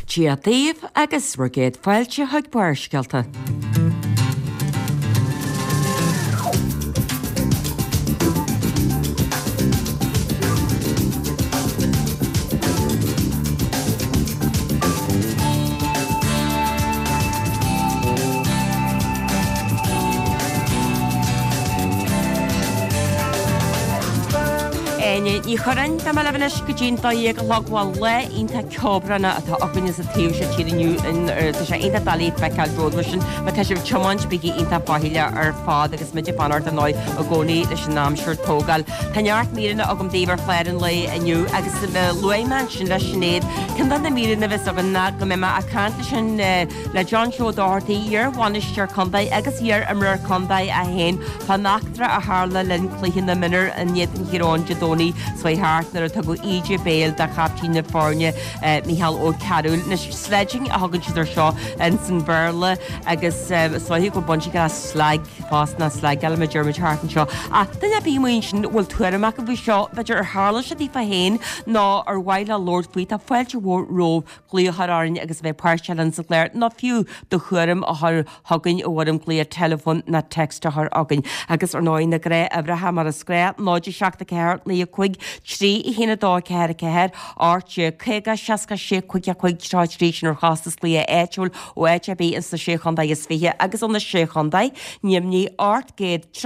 Dia daoibh agus bhur gcéad fáilte chuig Barrscéalta. Áine Ní Churráin, Beidh mé libh anois go dtí'n 12 a chlog. Bhuel, lá iontach ceobhránach atá againne sa taobh seo tíre inniu. Tá sé iontach doiligh feiceáil romhat mar sin má tá sibh ag tiomáint bígí iontach faichilleach ar fad agus muid ag fanacht ar ndóigh i gcónaí leis an aimsir tógáil. Tá neart míreanna agam daoibh ar chlár an lae inniu agus luaigh mé ansin le Sinéad ceann de na míreanna a bheas againn ná go mbeidh mé ag caint leis an le John Joe Doherty, iar-bhainisteoir contae agus iar-imreoir contae é féin, fán eachtra a tharla le linn cluiche na mionúr in éadan Thír Eoghain Dé Domhnaigh seo chuaigh thart nuair a tugadh íde béil do chaiptín na foirne, Mícheál Ó Cearúil. Anois, sledging a thugann siad air seo ins an Bhéarla agus is dóiche go bhfuil baint aige le slag fosta, nó slagáil mar a deir muid thart anseo. Ach duine ar bith amuigh ansin a bhfuil tuairim acu faoi seo, b'fhéidir ar tharla sé daofa féin nó ar mhaith leo labhairt faoi, tá fáilte mhór romhaibh glaoch a chur orainn agus a bheith páirteach linn sa gclár nó fiú do thuairim a chur chugainn i bhfoirm glaoch teileafóin nó text a chur chugainn. Agus ar ndóigh na gnáthuimhreacha mar is gnách, 0 7 4 9 5 3 1 2 4 4 18 50 66 55 33 sin ar chostas glaoch áitiúil ó áit ar bith ins na Sé Chontae is Fiche agus ó na Sé Chontae, Nimhní 837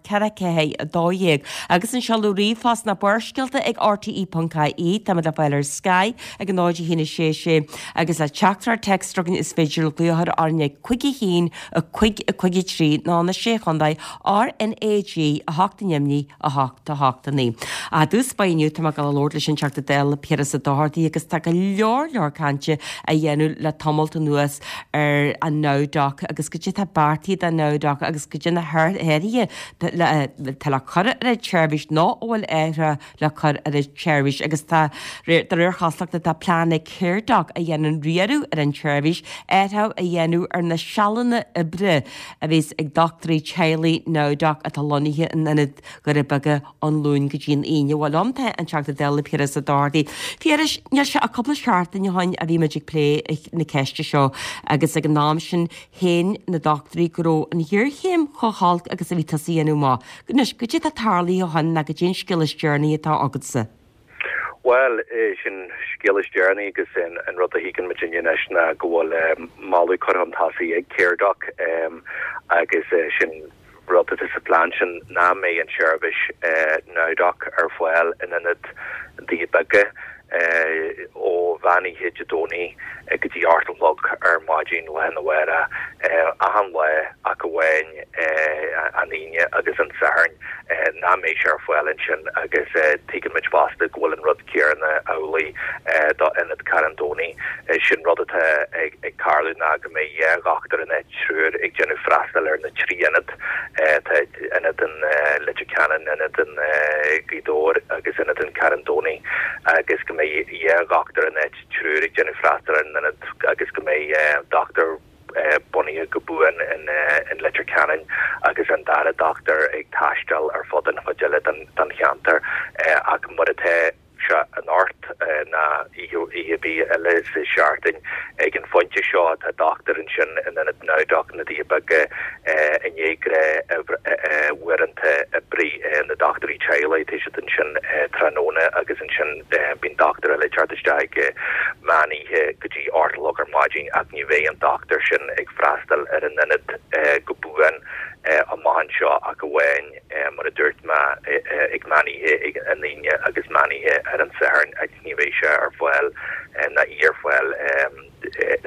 4 4 12 agus an seoladh ríomhphost ná barrscéalta ag rte.ie Táimid le fáil ar Sky ag 0 1 6 6 agus le teachtaireacht téacs chugainn is féidir glaoch a chur orainn ag 5 1 5 5 3 nó na Sé Chontae RnaG 8 Nimhní 8 8 9. I dtús báire inniu tá mé ag dul a labhairt leis an Teachta Dála Piaras Ó Dochartaigh agus tá go leor leor cainte á dhéanamh le tamalt anuas ar an NowDoc agus goidé atá beartaithe don NowDoc agus goidé na hathruithe atá le cur ar an tseirbhís nó a bhfuil athruithe le cur ar an tseirbhís agus tá, de réir chosúlachta, tá plean ag Caredoc, a dhéanann riaradh ar an tseirbhís, athrú a dhéanamh ar na sealanna oibre a bheas ag dochtúirí teaghlaigh NowDoc atá lonnaithe in ionad Dhoirí Beaga ón Luan go dtí an Aoine. Bhuel, liom tá an Teachta Dála Piaras Ó Dochartaigh. Phiarais, níl sé ach cúpla seachtain ó shin a bhí muid ag plé na ceiste seo agus ag an am sin shéan na dochtúirí go raibh an ghéarchéim chomh holc agus a bhí tusa a dhéanamh amach. Anois, goidé atá tarlaithe ó shin ná goidé an scéal is deireanaí atá agatsa? Bhuel, sin scéal is deireanaí agus an rud a thuigeann muid inniu anois ná go bhfuil moladh curtha chun tosaigh ag Caredoc agus sin rud atá sa phlean sin nach mbeidh an tseirbhís NowDoc ar fáil in ionad Doirí Beaga ó mheán oíche Dé Domhnaigh go dtí 8 a chlog ar maidin lá arna mhárach, achan lá ach amháin an Aoine agus an Satharn, nach mbeidh sé ar fáil ansin agus tuigeann muid fosta go bhfuil an rud céanna amhlaidh do Ionad Charn Domhnaigh. Sin rud atá ag tarlú ná go mbeidh dhá dhochtúir in áit triúr ag déanamh freastal ar na trí ionad. Tá ionad in Leitir Ceanainn, ionad in Gaoth Dobhair agus ionad in Carn Domhnaigh agus go mbeidh dhá dhochtúir in áit triúr ag déanamh freastal ar an ionad agus go mbeidh dochtúir bunaithe go buan in Leitir Ceanainn agus an dara dochtúir ag taisteal ar fud an chuid eile den cheantar ach mar atá sé anocht ná oíche ar bith eile sa seachtain. Ag an phointe seo tá dochtúir ansin in ionad NowDoc na Doirí Beaga i ndiaidh gnáth-uaireanta oibre na dochtúirí teaghlaigh. Tá siad ansin tráthnóna agus ansin bíonn dochtúir eile ag teacht isteach ag meán oíche go dtí 8 a chlog ar maidin ach ní bheidh an dochtúir sin ag freastal ar an ionad go buan amach anseo ach amháin mar a dúirt mé, ag meán oíche ag an Aoine agus meán oíche ar an Satharn agus ní bheidh sé ar fáil ná í ar fáil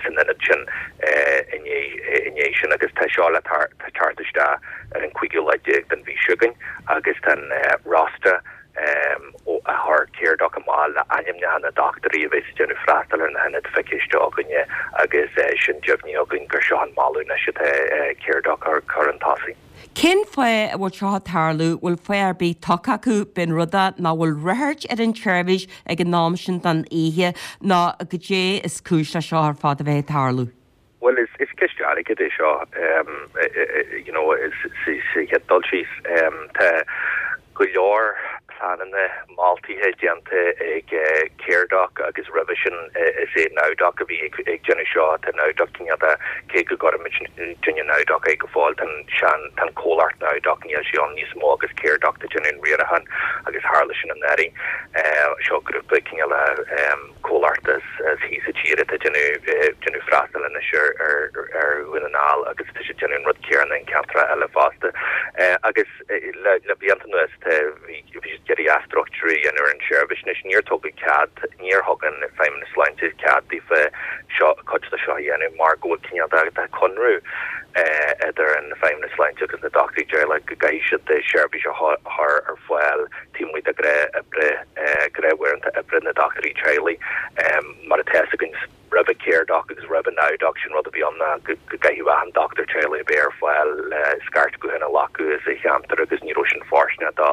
san ionad sin i ndiaidh sin agus tá seo le teacht isteach ar an cúigiú lá déag den mhí seo chugainn agus tá an rosta a chuir Caredoc amach le ainmneacha na dochtúirí a bheas ag déanamh freastal ar na hionaid feicthe againne agus sin deimhnithe againn gur seo an moladh anois atá Caredoc a chur chun tosaigh. Cén fáth a bhfuil seo ag tarlú? Bhfuil fáth ar bith tugtha acu? B'in rud é nach bhfuil ráchairt ar an tseirbhís ag an am sin den oíche nó goidé is cúis le seo ar fad a bheith ag tarlú? Bhuel, is ceist airgid é seo, you know, sa chéad dul síos. Tá go leor. pleananna moltaithe déanta ag Caredoc agus roimhe sin is é NowDoc a bhí ag déanamh seo. Tá NowDoc cineál de, cé go gcuirimid duine NowDoc é go fóill, tá an sean, tá an comhlacht NowDoc, níl sé ann níos mó agus Caredoc atá déanamh an riaracháin agus tharla sin anuraidh. Seo grúpa cineál de comhlacht as thíos sa tír atá déanamh, déanamh freastal anois ar ar Dhún na nGall agus tá siad déanamh an rud céanna in ceantracha eile fosta. Agus. Le blianta anuas tá, bhí siad ag iarraidh athstruchtúrú a dhéanamh ar an tseirbhís. Anois níor tugadh cead, níor thug an Feidhmeannas Sláinte cead daofa seo, cuid de seo a dhéanamh mar go bhfuil cineál de, de chonradh idir an Feidhmeannas Sláinte agus na dochtúirí teaghlaigh go gcaithfidh siad seirbhís a chur ar fáil taobh amuigh de ghnáth oibre, gnáthuaireanta oibre na dochtúirí teaghlaigh mar atá fhios againn. Roimhe Caredoc agus roimhe NowDoc, sin rud a bhí ann ná go gcaithfeadh achan dochtúir teaghlaigh a bheith ar fáil le scairt gutháin a ghlacadh sa cheantar agus ní raibh sin fóirsteanach do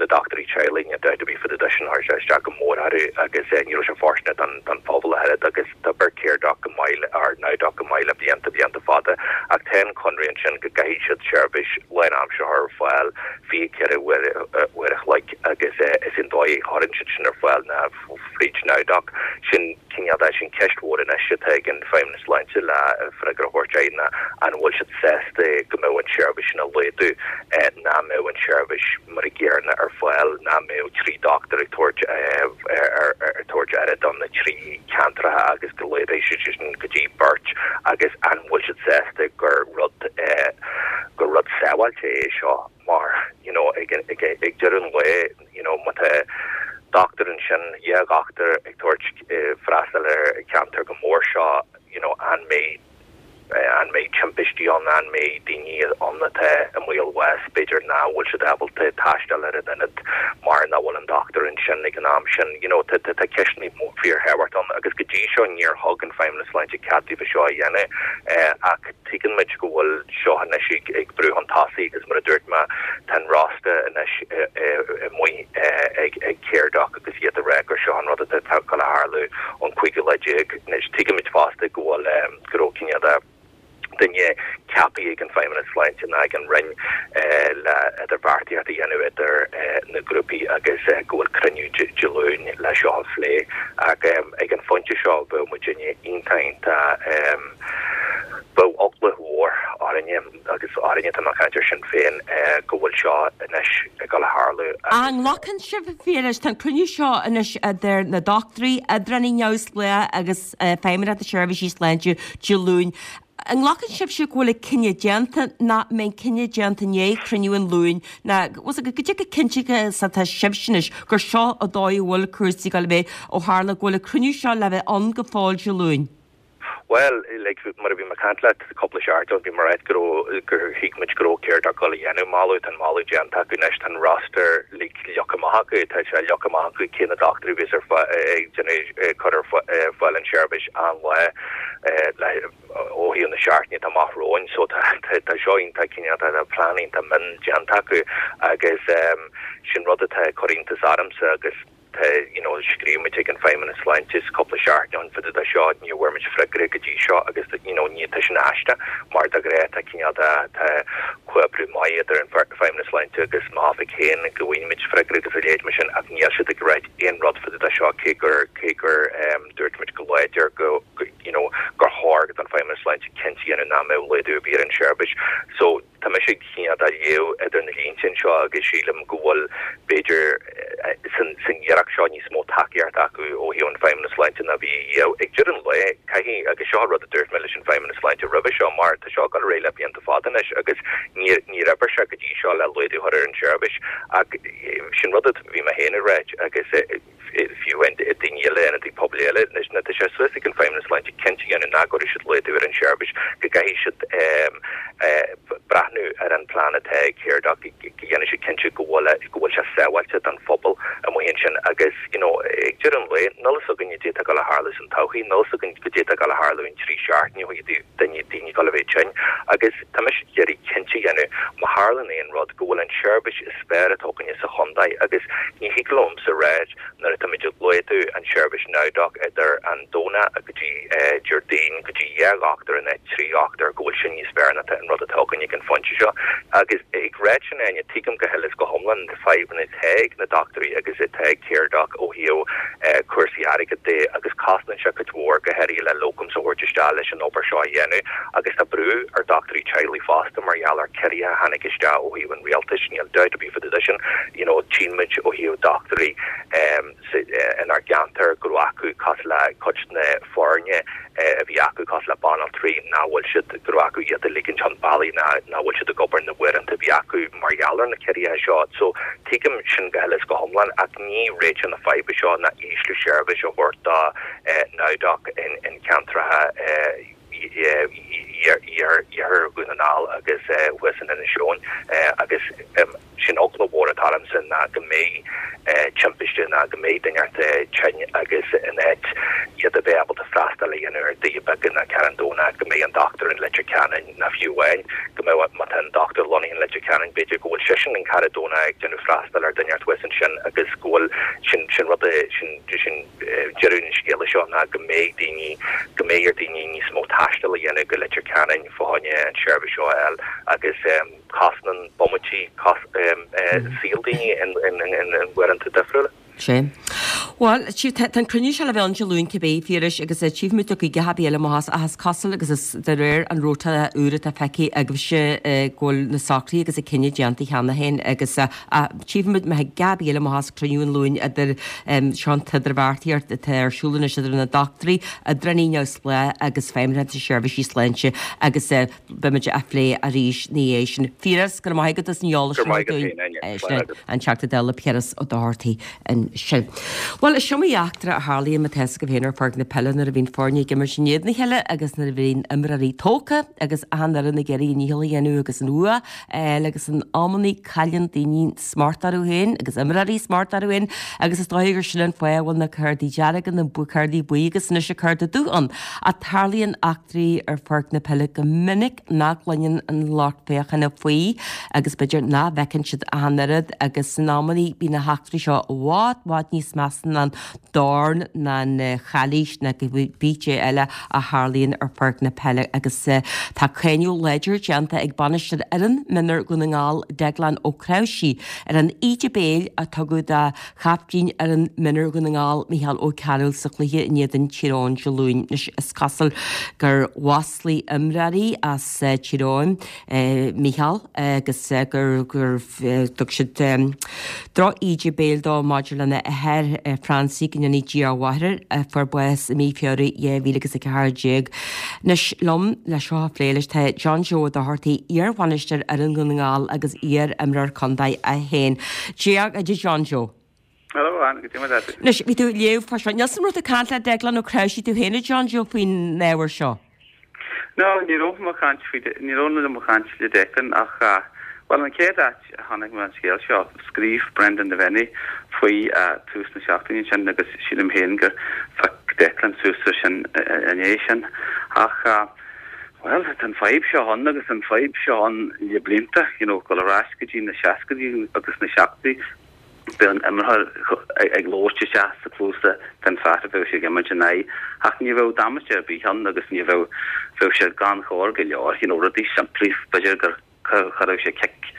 na dochtúirí teaghlaigh, níl dabht ar bith fá dtaobh de sin, chuir sé isteach go mór orthu agus ní raibh sé fóirsteanach don don phobal ach oiread agus d'oibir Caredoc go maith or NowDoc go maith le blianta, blianta fada ach tá an conradh ansin go gcaithfidh siad seirbhís lánaimseartha a chur ar fáil 24 uair uair a chloig agus is é an dóigh a chuireann siad sin ar fáil ná fríd NowDoc. Sin cineál de, sin ceist mhór anois atá ag an Feidhmeannas Sláinte le freagra a thabhairt air ná an bhfuil siad sásta go mbeadh an tseirbhís sin á laghdú, nach mbeadh an tseirbhís mar a gcéanna ar fáil, nach mbeadh 3 dochtúir ag tabhairt ag tabhairt aire do na trí ceantracha agus go laghdóidh siad sin go dtí beirt agus an bhfuil siad sásta gur rud gur rud sábháilte é seo mar you know ag ag ag deireadh an lae you know má tá dochtúir ansin, dhá dhochtúir ag tabhairt freastal ar cheantar chomh mór seo, you know an mbeidh an mbeidh timpistí ann, an mbeidh daoine ann atá i mbaol bháis, b'fhéidir nach bhfuil siad ábalta taisteal ar an ionad mar nach bhfuil an dochtúir ansin ag an am sin, you know tá tá ceisteanna fíorthábhachtach ann agus go dtí seo níor thug an Feidhmeannas Sláinte cead daofa seo a dhéanamh ach Tuigeann muid go bhfuil seo anois ag brú chun tosaigh agus mar a dúirt mé, tá an rosta anois amuigh ag Caredoc agus iad ag rá gur seo an rud atá ag dul a tharlú ón cúigiú lá déag. Anois tuigimid fosta go bhfuil, go raibh cineál de duine ceaptha ag an Feidhmeannas Sláinte nó ag an Roinn le idirbheartaíocht a dhéanamh idir na grúpaí agus go bhfuil cruinniú Dé Luain le seo a phlé ach ag an phointe seo bheadh muidinne iontach iontach Bheadh eagla mhór orainne, agus orainne, tá mé ag caint ar Sinn Féin, go bhfuil seo anois ag dul a tharlú agus. An nglacann sibh, a Phiarais, tá an cruinniú seo anois idir na dochtúirí, oibreoirí neamhspleácha agus Feidhmeannacht na Seirbhísí Sláinte Dé Luain. An nglacann sibhse go bhfuil an cinneadh déanta, nó an mbeidh an cinneadh déanta i ndiaidh chruinniú an Luain, nó bhfuil a fhios agat cad é chomh cinnte is atá sibhse anois gur seo an dóigh a bhfuil cúrsaí ag dul a bheith ó tharla go bhfuil an cruinniú seo le bheith ann go fóill Dé Luain? Bhuel, like, mar a bhí mé ag caint leat cúpla seachtain ó shin, bhí mé ag ráit go raibh, gur thuig muid go raibh Caredoc ag dul a dhéanamh moladh, tá an moladh déanta acu anois, tá an roster like leagtha amach acu, tá sé leagtha amach acu cé na dochtúirí a bheas ar fáil, ag déanamh, ag cur ar fáil an tseirbhís achan lá le, ó thaobh na seachtaine atá amach romhainn. So tá, tá, tá seo iontach cineál, tá plean iontach mion déanta acu agus sin rud atá ag cur iontas ormsa agus, Tá, you know, scríobh muid ag an Feidhmeannas Sláinte cúpla seachtain ó shin fá dtaobh de seo, ní bhfuair muid freagra go dtí seo agus, you know, ní, tá sin aisteach mar de ghnáth tá cineál de, tá comhoibriú maith idir an Feidhmeannas Sláinte agus m'oifig féin go bhfaigheann muid freagra agus a leithéid mar sin ach níl siad ag ráit aon rud fá dtaobh de seo cé gur, cé gur em dúirt muid go láidir go, go, you know, gur chóir don Feidhmeannas Sláinte cinnte a dhéanamh nach mbeadh laghdú ar bith ar an seirbhís. So. Tá mise ag cineál de léamh idir na línte anseo agus sílim go bhfuil, b'fhéidir, san iarracht seo níos mó tacaíochta acu ó thaobh an Feidhmeannas Sláinte ná bhí riamh. Ag deireadh an lae, caithfidh, agus seo rud a dúirt mé leis an Feidhmeannas Sláinte roimhe seo, mar tá seo ag dul ar aghaidh le blianta fada anois agus níor níor oibir sé go dtí seo le laghdú a chur ar an tseirbhís ach sin rud a bhí mé féin ag ráit agus fiú daoine eile, ionadaithe pobail eile, anois tá sé suas ag an Feidhmeannas Sláinte cinnte a dhéanamh nach gcuirfidh siad laghdú ar an tseirbhís, go gcaithfidh siad breathnú ar an plean atá ag Caredoc, go ndéanfaidh siad cinnte go bhfuil go bhfuil sé sábháilte don phobal amuigh ansin agus you know ag deireadh an lae, níl fhios againn goidé atá ag dul a tharlú san todhchaí, níl fhios againn goidé atá ag dul a tharlú in 3 seachtaine ó thaobh daoine daoine ag dul a bheith tinn agus tá mise ag iarraidh cinnte a dhéanamh má tharlaíonn aon rud go bhfuil an tseirbhís is fearr atá againne sa chontae agus ní thig liomsa ráit nuair atáimid ag laghdú an tseirbhís NowDoc idir an Domhnach go dtí Déardaoin go dtí 2 dhochtúir in áit 3 dhochtúir go bhfuil sin níos fearr ná an rud atá againn ag an. ag an phointe seo. Agus ag ráit sin, Áine, tuigim go huile is go hiomlán na fadhbanna atá ag na dochtúirí agus atá ag Caredoc ó thaobh cúrsaí airgid de agus cosnaíonn sé cuid mhór, go háirithe le locums a thabhairt isteach leis an obair seo a dhéanamh agus tá brú ar dochtúirí teaghlaigh fosta mar gheall ar ciorruithe a tháinig isteach ó thaobh an rialtais, níl dabht ar bith fá dtaobh de sin, you know tchíonn muid ó thaobh dochtúirí inár gceantar go raibh acu cosúil le cuid de na foirne a bhí acu cosúil le banaltraí nach bhfuil siad, go raibh acu iad a ligint chun bealaigh ná nach bhfuil siad ag obair na huaireanta a bhí acu mar gheall ar na ciorruithe seo. So tuigim sin go huile is go hiomlán ach ní réiteach na faidhbe seo ná ísliú seirbhís a thabhairt do NowDoc in ceantracha iarthar Dhún na nGall agus thuas in Inis Eoghain agus sin eagla mhór atá ormsa ná go mbeidh timpiste ná go mbeidh duine inteacht tinn agus in áit iad a bheith ábalta freastal a dhéanamh ar Dhoire Beaga ná Carn Domhnach go mbeidh an dochtúir in Leitir Ceanainn ná fiú amháin go mbeidh má tá an dochtúir lonnaithe in Leitir Ceanainn b'fhéidir go bhfuil seisean in Carn Domhnach ag déanamh freastal ar duine inteacht thuas ansin agus go bhfuil sin sin rud sin sin deireadh an scéala seo ná go mbeidh daoine, go mbeidh ar daoine níos mó taistil a dhéanamh go Leitir Ceanainn fá choinne an tseirbhís seo a fháil agus cosnaíonn bomaití saol daoine in uaireanta difriúla. Sea. Bhuel, tá an cruinniú seo le bheith ann Dé Luain cibé, Phiarais, agus tchífidh muid cad chuige a bheidh eile amach as, ach is cosúil agus is de réir an rota úr atá feicthe agaibhse go bhfuil na socruithe agus an cinneadh déanta cheana féin agus Tchífidh muid má thig a bheidh eile amach as cruinniú an Luain idir seo an t-idirbheartaíocht atá ar siúl anois idir na dochtúirí, oibreoirí neamhspleácha agus Feidhmeannacht na Seirbhísí Sláinte agus beimid á phlé arís ina dhiaidh sin. Piaras, go raibh maith agat as an eolas sin dúinn. An Teachta Dála Piaras Ó Dochartaigh ansin. Bhuel, is iomaí eachtra a tharlaíonn má tá a fhios agaibh féin ar pháirc na peile nuair a bhíonn foirne ag imirt in éadan a chéile agus nuair a bhíonn imreoirí tógtha agus achan fhoireann ag iarraidh a ndícheall a dhéanamh agus an bhua a fháil agus in amannaí cailleann daoine smacht orthu féin agus imreoirí smacht orthu féin agus is dóigh gur sin an fáth a bhfuil na cártaí dearga, na cártaí buí agus anois an cárta dubh ann. Ach tarlaíonn eachtraí ar pháirc na peile go minic nach gcluineann an lucht féachana faoi agus b'fhéidir nach bhfeiceann siad ach an oiread agus in amannaí bíonn na heachtraí seo i bhfad, bhfad níos measa ná an dorn ná an chalaois ná cibé cé eile a tharlaíonn ar pháirc na peile agus tá cáineadh láidir déanta ag bainisteoir fhoireann mionúir Dhún na nGall, Deaglán Ó Cnáimhsí, ar an íde béil a tugadh do chaiptín fhoireann mionúir Dhún na nGall, Micheál Ó Cearúil sa chluiche in éadan Tír Eoghain Dé Luain. Anois is cosúil gur mhaslaigh imreoirí as Tír Eoghain Micheál agus gur thug siad droch-íde béil dó maidir lena athair Francie, go ndéana Dia a mhaith air, a fuair bás i mí Feabhra 2014. Anois liom le seo a phlé leis tá John Joe Ó Dochartaigh, iar-bhainisteoir fhoireann Dhún na nGall agus iar-imreoir contae é féin. Dia duit John Joe. Hello Anne, goidé mar atá tú? Anois, bhí tú ag léamh fá seo. Níl 's agam an raibh tú ag caint le Declan Ó Cnáimhsí tú féin a John Joe faoin ábhar seo? No, ní raibh mé ag caint faoi, ní raibh mé ag caint le Declan ach, bhuel an chéad áit a chonaic mé an scéal seo, scríobh Brendan Devenney faoi tús na seachtaine sin agus sílim féin gur phioc Declan suas air sin i ndiaidh sin. Ach, bhuel, tá an fadhb seo ann agus an fadhb seo ann le blianta, you know, dul ar ais go dtí na seascaidí agus na seachtóidí, Bheadh an imreoir ag labhairt isteach sa cluas den fear a bheadh sé ag imirt ina aghaidh ach ní bheadh damáiste ar bith ann agus ní bheadh, bheadh sé gan chóir go leor, you know, rudaí simplí, b'fhéidir gur chuirfeadh sé cic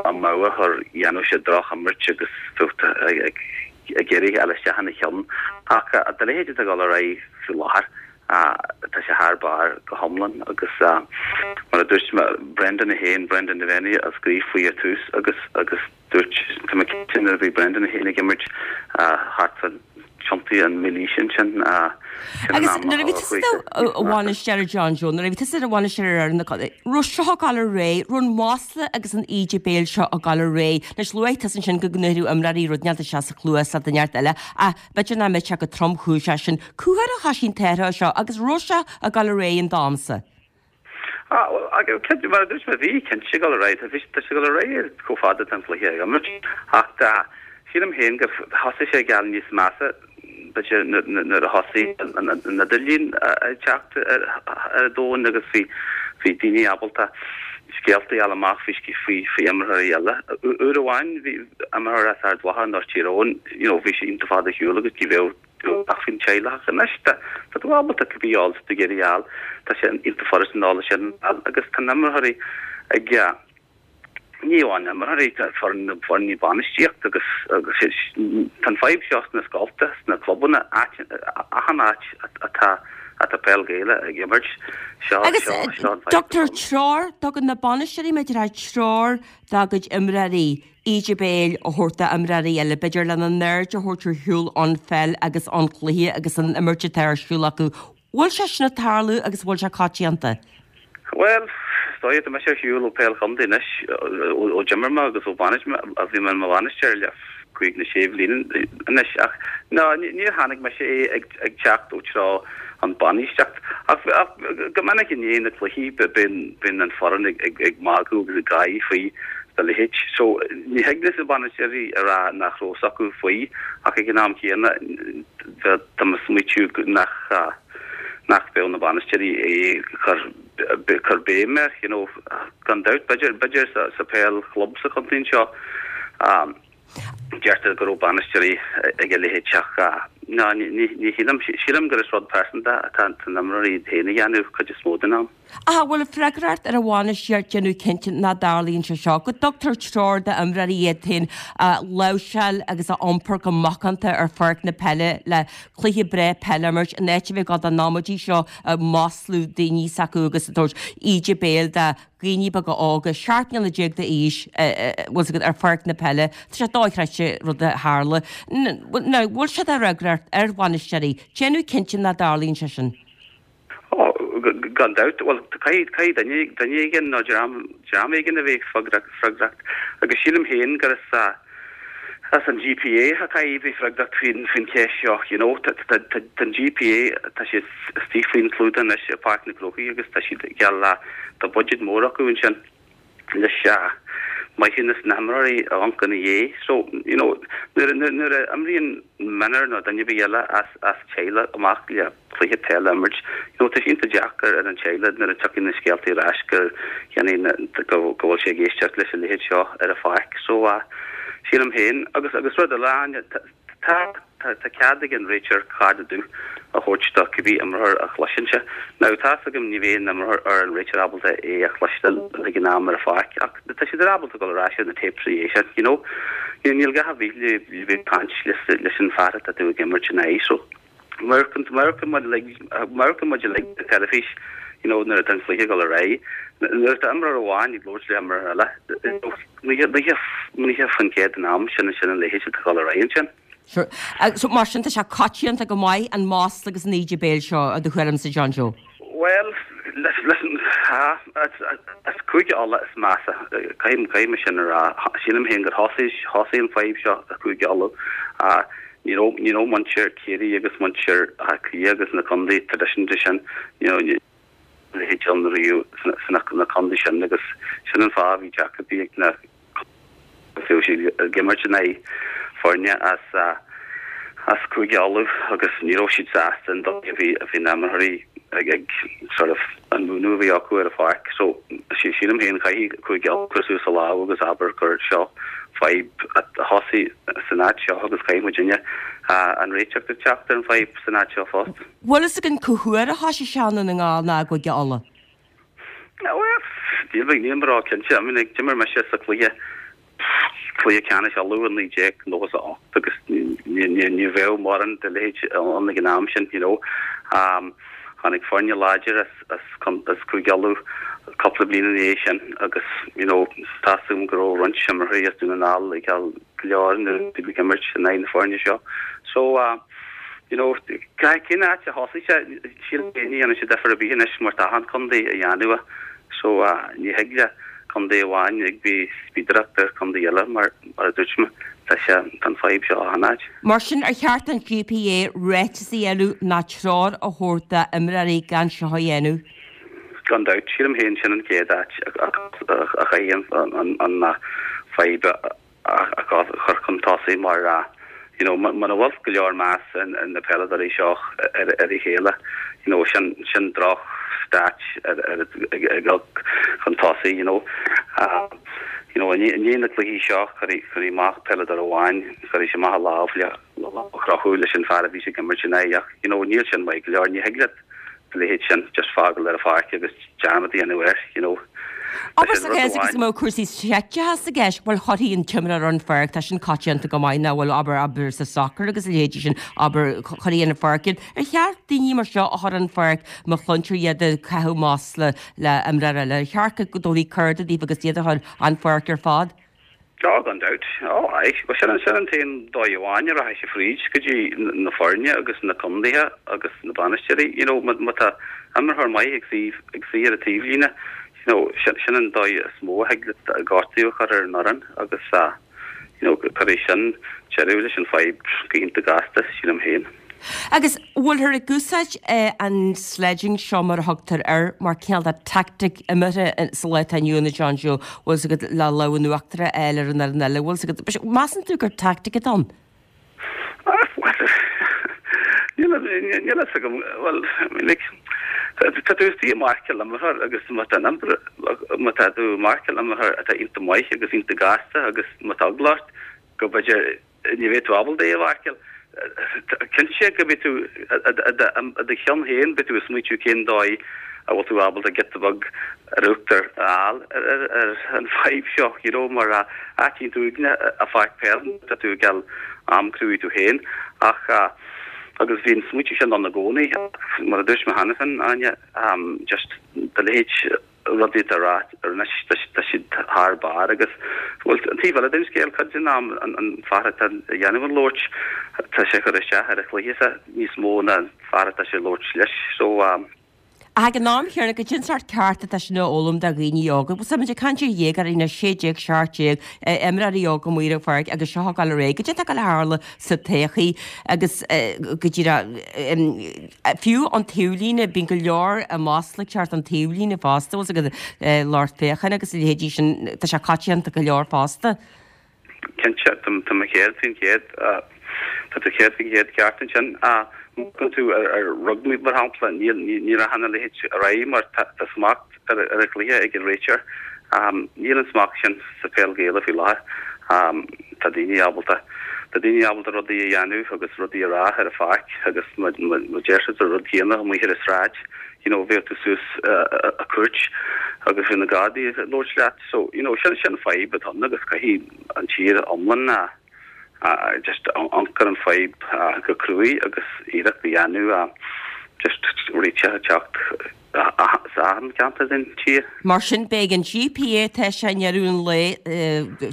amú a chur, dhéanfadh sé droch-imirt agus bheadh ag ag iarraidh a fháil isteach ina cheann. Ach a leithéid atá ag dul ar aghaidh faoi láthair, tá sé thar barr go hiomlán agus mar a dúirt mé, Brendan é féin, Brendan Devenney a scríobh faoi ar tús agus agus Dúirt, tá mé cinnte nuair a bhí Brendan é féin ag imirt thart fá tiontaí an mhílaoise ansin, sin an Agus am nuair a bhí tusa i do bhainisteoir John Joe, nuair a bhí tusa i do bhainisteoir ar fhoireann na contae, raibh seo ag dul ar aghaidh, raibh an masla agus an íde béil seo ag dul ar aghaidh. Anois luaigh tusa ansin go ndéarfadh imreoirí rud inteacht isteach sa chluas le duine inteacht eile ach b'fhéidir nach mbeadh sé chomh tromchúiseach sin. Cá huair a thoisigh an t-athrú seo agus raibh sé ag dul ar aghaidh in d'amsa? Ah, bhuel, agus cinnte, mar a dúirt mé, bhí cinnte ag dul ar aghaidh, tá sé ag dul ar aghaidh chomh fada atá an cluiche á imirt, ach tá, sílim féin gur thosaigh sé ag gabháil níos measa, b'fhéidir, nuair a thosaigh an idirlíon ag teacht ar an domhan agus bhí, bhí daoine ábalta scéalta a fháil amach faoi, faoi, faoi imreoirí eile. Uair amháin bhí imreoir as Ard Mhacha nó Tír Eoghain, you know, bhí sé iontach fada ar shiúl agus ní bheadh, Ach faoin teaghlach anois, tá tú ábalta cibé eolas atá tú ag iarraidh a fháil, tá sé iontach furast an eolas sin a fháil agus tá na imreoirí. Ag ní amháin na himreoirí, tá foireann na foirne bainistíocht agus agus tá an fadhb seo sna scolta, sna clubanna, áit achan áit atá atá peil Ghaelach ag imirt. Seo Agus seo seo an fadhb tugtar treoir, tugann na bainisteoirí b'fhéidir treoir dá gcuid imreoirí íde béil a thabhairt d'imreoirí eile, b'fhéidir lena n-aird a thabhairt ar shiúl ón pheil agus ón chluiche agus an imirt atá ar siúl acu. Bhfuil sé sin ag tarlú agus bhfuil sé coitianta? Bhuel, is dóigh, tá mise ar shiúl ó peil chontae anois, ó d'imir mé agus ó bhainis mé, a bhí mé i mo bhainisteoir le cúig nó sé bhliain anois, ach ná, níor chonaic mise é ag teacht ó treo an bainistíocht. Ach go minic i ndiaidh na cluichí bíonn an foireann ag magadh agus ag gáirí faoi a leithéid. So, ní thig leis na bainisteoirí a rá nach raibh fhios acu faoi ach ag an am chéanna tá mé ag smaoitiú nach nach mbeadh na bainisteoirí ag cur béim air, you know. Gan dabht, b'fhéidir, b'fhéidir sa peil chlub sa chontae anseo, Deirtear go raibh bainisteoirí ag a leithéid ach ná, ní shílim. Sílim gur is rud pearsanta atá na himreoirí iad féin a dhéanamh cuid is mó den am. Ach an bhfuil freagracht ar an bhainistíocht déanamh cinnte nach dtarlaíonn sé seo, go dtugtar treoir d'imreoirí iad féin a láimhseáil agus a iompar go macánta ar pháirc na peile le cluiche breá peile a imirt in áit a bheith ag gabháil don amaidí seo ag maslú daoine s'acu agus ag tabhairt íde béil do dhaoine beaga óga, 17 mbliana d'aois, bhfuil 's agat, ar pháirc na peile. Tá sé dochreidte rud a tharla. Now, bhfuil sé de fhreagracht ar bhainisteoirí déanamh cinnte nach dtarlaíonn sé sin? Ó, gan dabht. Bhuel, caithfidh duine, duine éigin nó dream, dream éigin a bheith freagrach. Agus sílim féin gur as, as an GPA a caithfidh bheith freagrach faoin, faoin cheist seo, you know. Tá, tá, tá an GPA, tá siad istigh faoin chlúdach anois i Páirc na gCrócaigh agus tá siad geall le, tá budget mór acu ansin leis maithiúnas na himreoirí a amharc ina dhiaidh. So, you know, nuair, nuair, nuair a imríonn mionúr nó duine ar bith eile as, as teaghlach amach le cluiche peile a imirt. You know, tá sé iontach deacair ar an teaghlach nuair a tiocfaidh na scéaltaí ar ais gur dhéanfaidh na, go, go bhfuil sé ag éisteacht leis an leithéid seo ar an pháirc. So, ah, sílim féin, agus, agus rud eile, Áine, tá, tá, tá cead ag an réiteoir cárta dubh a thabhairt do cibé imreoir a chloiseann sé. Now, tá's agam ní bheidh an imreoir or an réiteoir ábalta é a chloisteáil ag an am ar an pháirc ach tá siad ábalta dul ar ais ar na tapes ina dhiaidh sin, you know. Níl gá ar bith le bheith ag caint leis an fear atá tú ag imirt ina aghaidh. So, Amharcann muid uilig ar teilifís you know nuair atá an cluiche ag dul ar aghaidh. Nuair atá imreoir amháin ag labhairt le himreoir eile, 90% den am sin sin an leithéid atá ag dul ar aghaidh ansin. Sure. So mar sin tá sé coitianta go maith an masla agus an íde béil seo i do thuairimse John Joe? Bhuel, listen, ha, as Cúige Uladh is measa, caithfidh mé sin a rá. Sílim féin gur thosaigh thosaigh an fadhb seo i Cúige Uladh. Ní raibh ní raibh muintir Ciarraí agus muintir Átha Cliath agus na contae traidisiúnta sin, you know, a leithéid ann riamh sna na contae sin agus sin an fáth a bhí deacrachtaí ag na bhí siad ag imirt in aghaidh foirne as as Cúige Uladh agus ní raibh siad sásta an dóigh a bhí a bhí na himreoirí ag ag sort of an múineadh a bhí acu ar an pháirc. So sílim féin caithfidh Cúige Uladh cur suas a lámh agus abair gur seo fadhb a thosaigh san áit seo agus caithfidh muidinne an réiteach a teacht ar an bhfadhb san áit seo fosta. Bhfuil fhios againn cá huair a thoisigh sé i nDún na nGall ná i gCúige Uladh? Bhuel, níl níl mé ró-chinnte. I mean, d'imir mise sa chluiche, cluiche ceannais Uladh i 1998 agus ní bheadh mórán de leithéid ann ag an am sin, you know. Tháinig foirne láidir as as as Cúige Uladh cúpla bliain ina dhiaidh sin agus, you know, tá's agam go raibh roinnt imreoirí as Dún na nGall ag dul go leor nuair a bhí ag imirt in aghaidh na foirne seo. So, you know, cén áit a thosaigh sé, sílim féin ní dhéanann sé difear ar bith anois mar tá achan contae a dhéanamh é. So, ní thig le contae amháin ag bheith spíodaireacht ar chontae eile mar, mar a dúirt mé, tá sé, tá an fadhb seo achan áit. Mar sin, ar cheart don GPA ráiteas a dhéanamh ná treoir a thabhairt d'imreoirí gan seo a dhéanamh? Gan dabht, sílim féin sin an chéad áit a chaithfidh an fadhb a a chur chun tosaigh mar you know muna bhfuil go leor meas ag na peileadóirí seo ar a chéile you know sin sin droch stat ar ar ag dul chun tosaigh you know you know i ndiaidh na cluichí seo cuirfidh cuirfidh amach peileadóir amháin cuirfidh sé amach a lámh le a chrochadh leis an fear a bhí sé ag imirt ina aghaidh ach you know níl sin maith go leor ní thig leat a leithéid sin just fágáil ar an pháirc agus dearmad a dhéanamh air you know. Abair sa chás agus go mbeadh cúrsaí seicteachais i gceist, bhuel chuirfí an t-imreoir ar an pháirc, tá sin coitianta go maith nach bhfuil, abair, abair sa sacar agus a leithéidí sin, abair, chuirfí ar an pháirc iad. Ar cheart daoine mar seo a chur ar an pháirc má chluintear iad ag caitheamh masla le imreoir eile? Ar cheart go dtabharfaí cárta daofa agus iad a chur an pháirc ar fad? Ó, gan dabht. Ó, aye. Bhuel, sin an, sin an t-aon dóigh amháin a rachaidh sé fríd go dtí na foirne agus na condaetha agus na bainisteoirí. You know, má, má tá imreoir maith ag suí, ag suí ar an taobhlíne, you know, sin, sin an dóigh is mó a thig leat gortú a chur ar an fhoireann agus, ah, you know, cuirfidh sin deireadh leis an fadhb go hiontach gasta, sílim féin. Agus bhfuilthear ag úsáid an sledging seo mar a thugtar air mar cineál de tactic imeartha sa lá atá inniu ann a John Joe, bhfuil 's agat le lámh in uachtar a fháil ar an fhoireann eile, bhfuil 's agat, measann tú gur tactic atá ann? Níl a fhios agam, bhuel, I mean like, tá tú istigh ag marcáil imreoir agus má tá an má tá tú ag marcáil imreoir atá iontach maith agus iontach gasta agus má tá eagla ort go b'fhéidir ní bheidh tú ábalta é a mharcáil. Cinnte go mbeidh tú i do cheann féin, beidh tú ag smaoitiú cén dóigh a bhfuil tú ábalta giota beag ar uachtar a fháil ar an bhfadhb seo, you know, mar áit iontach uaigneach an pháirc peile, tá tú ag gabháil am cruaidh tú féin. Ach, agus bhí an smaoitiú sin ann i gcónaí, mar a dúirt mé cheana féin, Áine, just do leithéid rudaí atá á rá anois, tá siad thar barr agus, bhuel, an taobh eile den scéal, cuid den am, an fear atá ag déanamh an labhairt, tá sé ag cur isteach ar a chluiche-sa níos mó ná an fear atá sé ag labhairt leis, so. Ach ag an am chéanna, goidé an sórt ceart atá sin a fhoghlaim do dhaoine óga. Bhuel, tá muid ag caint ar dhéagóirí anois, 16, 17, imreoirí óga amuigh ar an pháirc agus seo ag dul ar aghaidh. Goidé atá ag dul a tharlú sa todhchaí agus go díreach, Fiú an taobhlíne, bíonn go leor masla ag teacht ón taobhlíne fosta, bhfuil 's agat, lucht féachana agus a leithéidí sin, tá sé coitianta go leor fosta. Cinnte, tá mé 100%, tá tú 100% ceart ansin. Má amharcann tú ar rugbaí, mar shampla, ní rachann a leithéid ar aghaidh mar tá smacht ar an chluiche ag an réiteoir. Níl an smacht sin sa pheil Ghaelach faoi láthair. Tá daoine ábalta, tá daoine ábalta rudaí a dhéanamh agus rudaí a rá ar an pháirc agus má deir siad an rud céanna amuigh ar an sráid, you know, bheadh tú suas i gcúirt agus bheadh na Gardaí ag labhairt leat. So, you know, sin, sin fadhb atá ann agus caithfidh an tír iomlán a, just amharc ar an fadhb go cruaidh agus iarracht a dhéanamh just réiteach a teacht sa achan cheantar den tír. Mar sin, beidh an GPA tá sé i ndeireadh an lae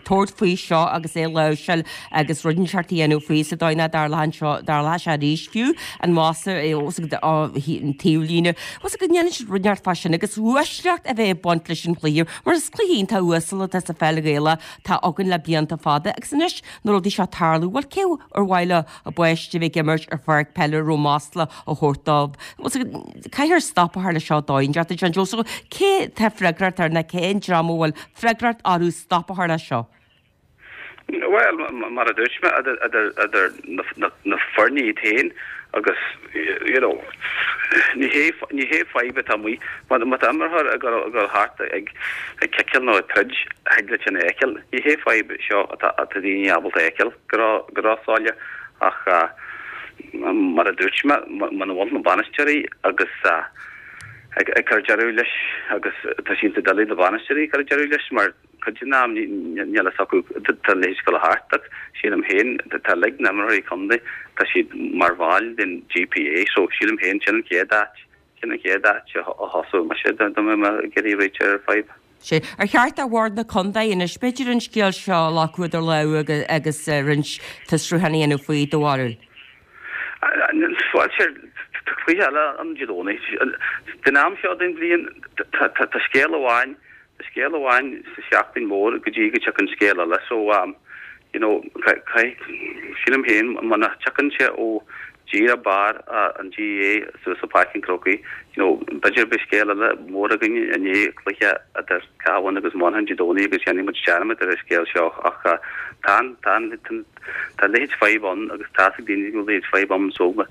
tabhairt faoi seo agus é a láimhseáil agus rud inteacht a dhéanamh faoi sa dóigh nach dtarlóidh seo, dtarlóidh sé arís fiú an masla an taobhlíne. Bhfuil 's agat go ndéanann siad rud inteacht fá sin agus uaisleacht a bheith ag baint leis an chluiche mar is cluiche iontach uasal atá sa pheil Ghaelach atá againn le blianta fada agus anois na rudaí seo ag tarlú, bhuel cé ar mhaith leo a bpáiste a bheith ag imirt ar pháirc peile a raibh masla á thabhairt dóibh? Caithfear stop a chur leis seo dóigh inteacht a John Joe. So cé tá freagracht air nó cén dream a bhfuil freagracht orthu stop a chur leis seo? Bhuel, mar a dúirt mé, idir na foirne iad féin agus, you know, ní hé, ní hé fadhb atá amuigh. Má tá imreoir ag dul thart ag ciceáil nó ag troid, thig leat sin a fheiceáil. Ní hé fadhb seo atá daoine ábalta a fheiceáil go róshoiléir ach mar a dúirt mé, muna bhfuil na bainisteoirí agus ag cur deireadh leis agus tá sé iontach doiligh na bainisteoirí ag cur deireadh leis mar Cuid den am níl a fhios acu tá a leithéid ag dul thart ach sílim féin tá uilig na imreoirí contae tá siad mar bhaill den GPA so sílim féin sin an chéad áit sin an chéad áit a thosódh mise dá mbeadh mé ag iarraidh réiteach ar an fadhb. Sea. Ar cheart do Bhord na Contae anois b'fhéidir an scéal seo a ghlacadh idir lámha agus roinnt fiosrúchán a dhéanamh faoi, do bharúil? Bhuel, sure, tá cluiche eile ann Dé Domhnaigh. Den am seo den bhliain tá scéal amháin Tá scéal amháin sa seachtain mhór go dtí go dtiocfaidh scéal eile so you know caithfidh, sílim féin muna dtiocfaidh sé ó díreach barr an GAA suas i Páirc an Chrócaigh you know b'fhéidir beidh scéal eile mór againn i ndiaidh cluiche idir Cabhán agus Manchain Dé Domhnaigh agus déanfaidh muid dearmad ar an scéal seo ach tá an tá an tá a leithéid fadhb ann agus tá 'fhios ag daoine go bhfuil a leithéid fadhb ann so má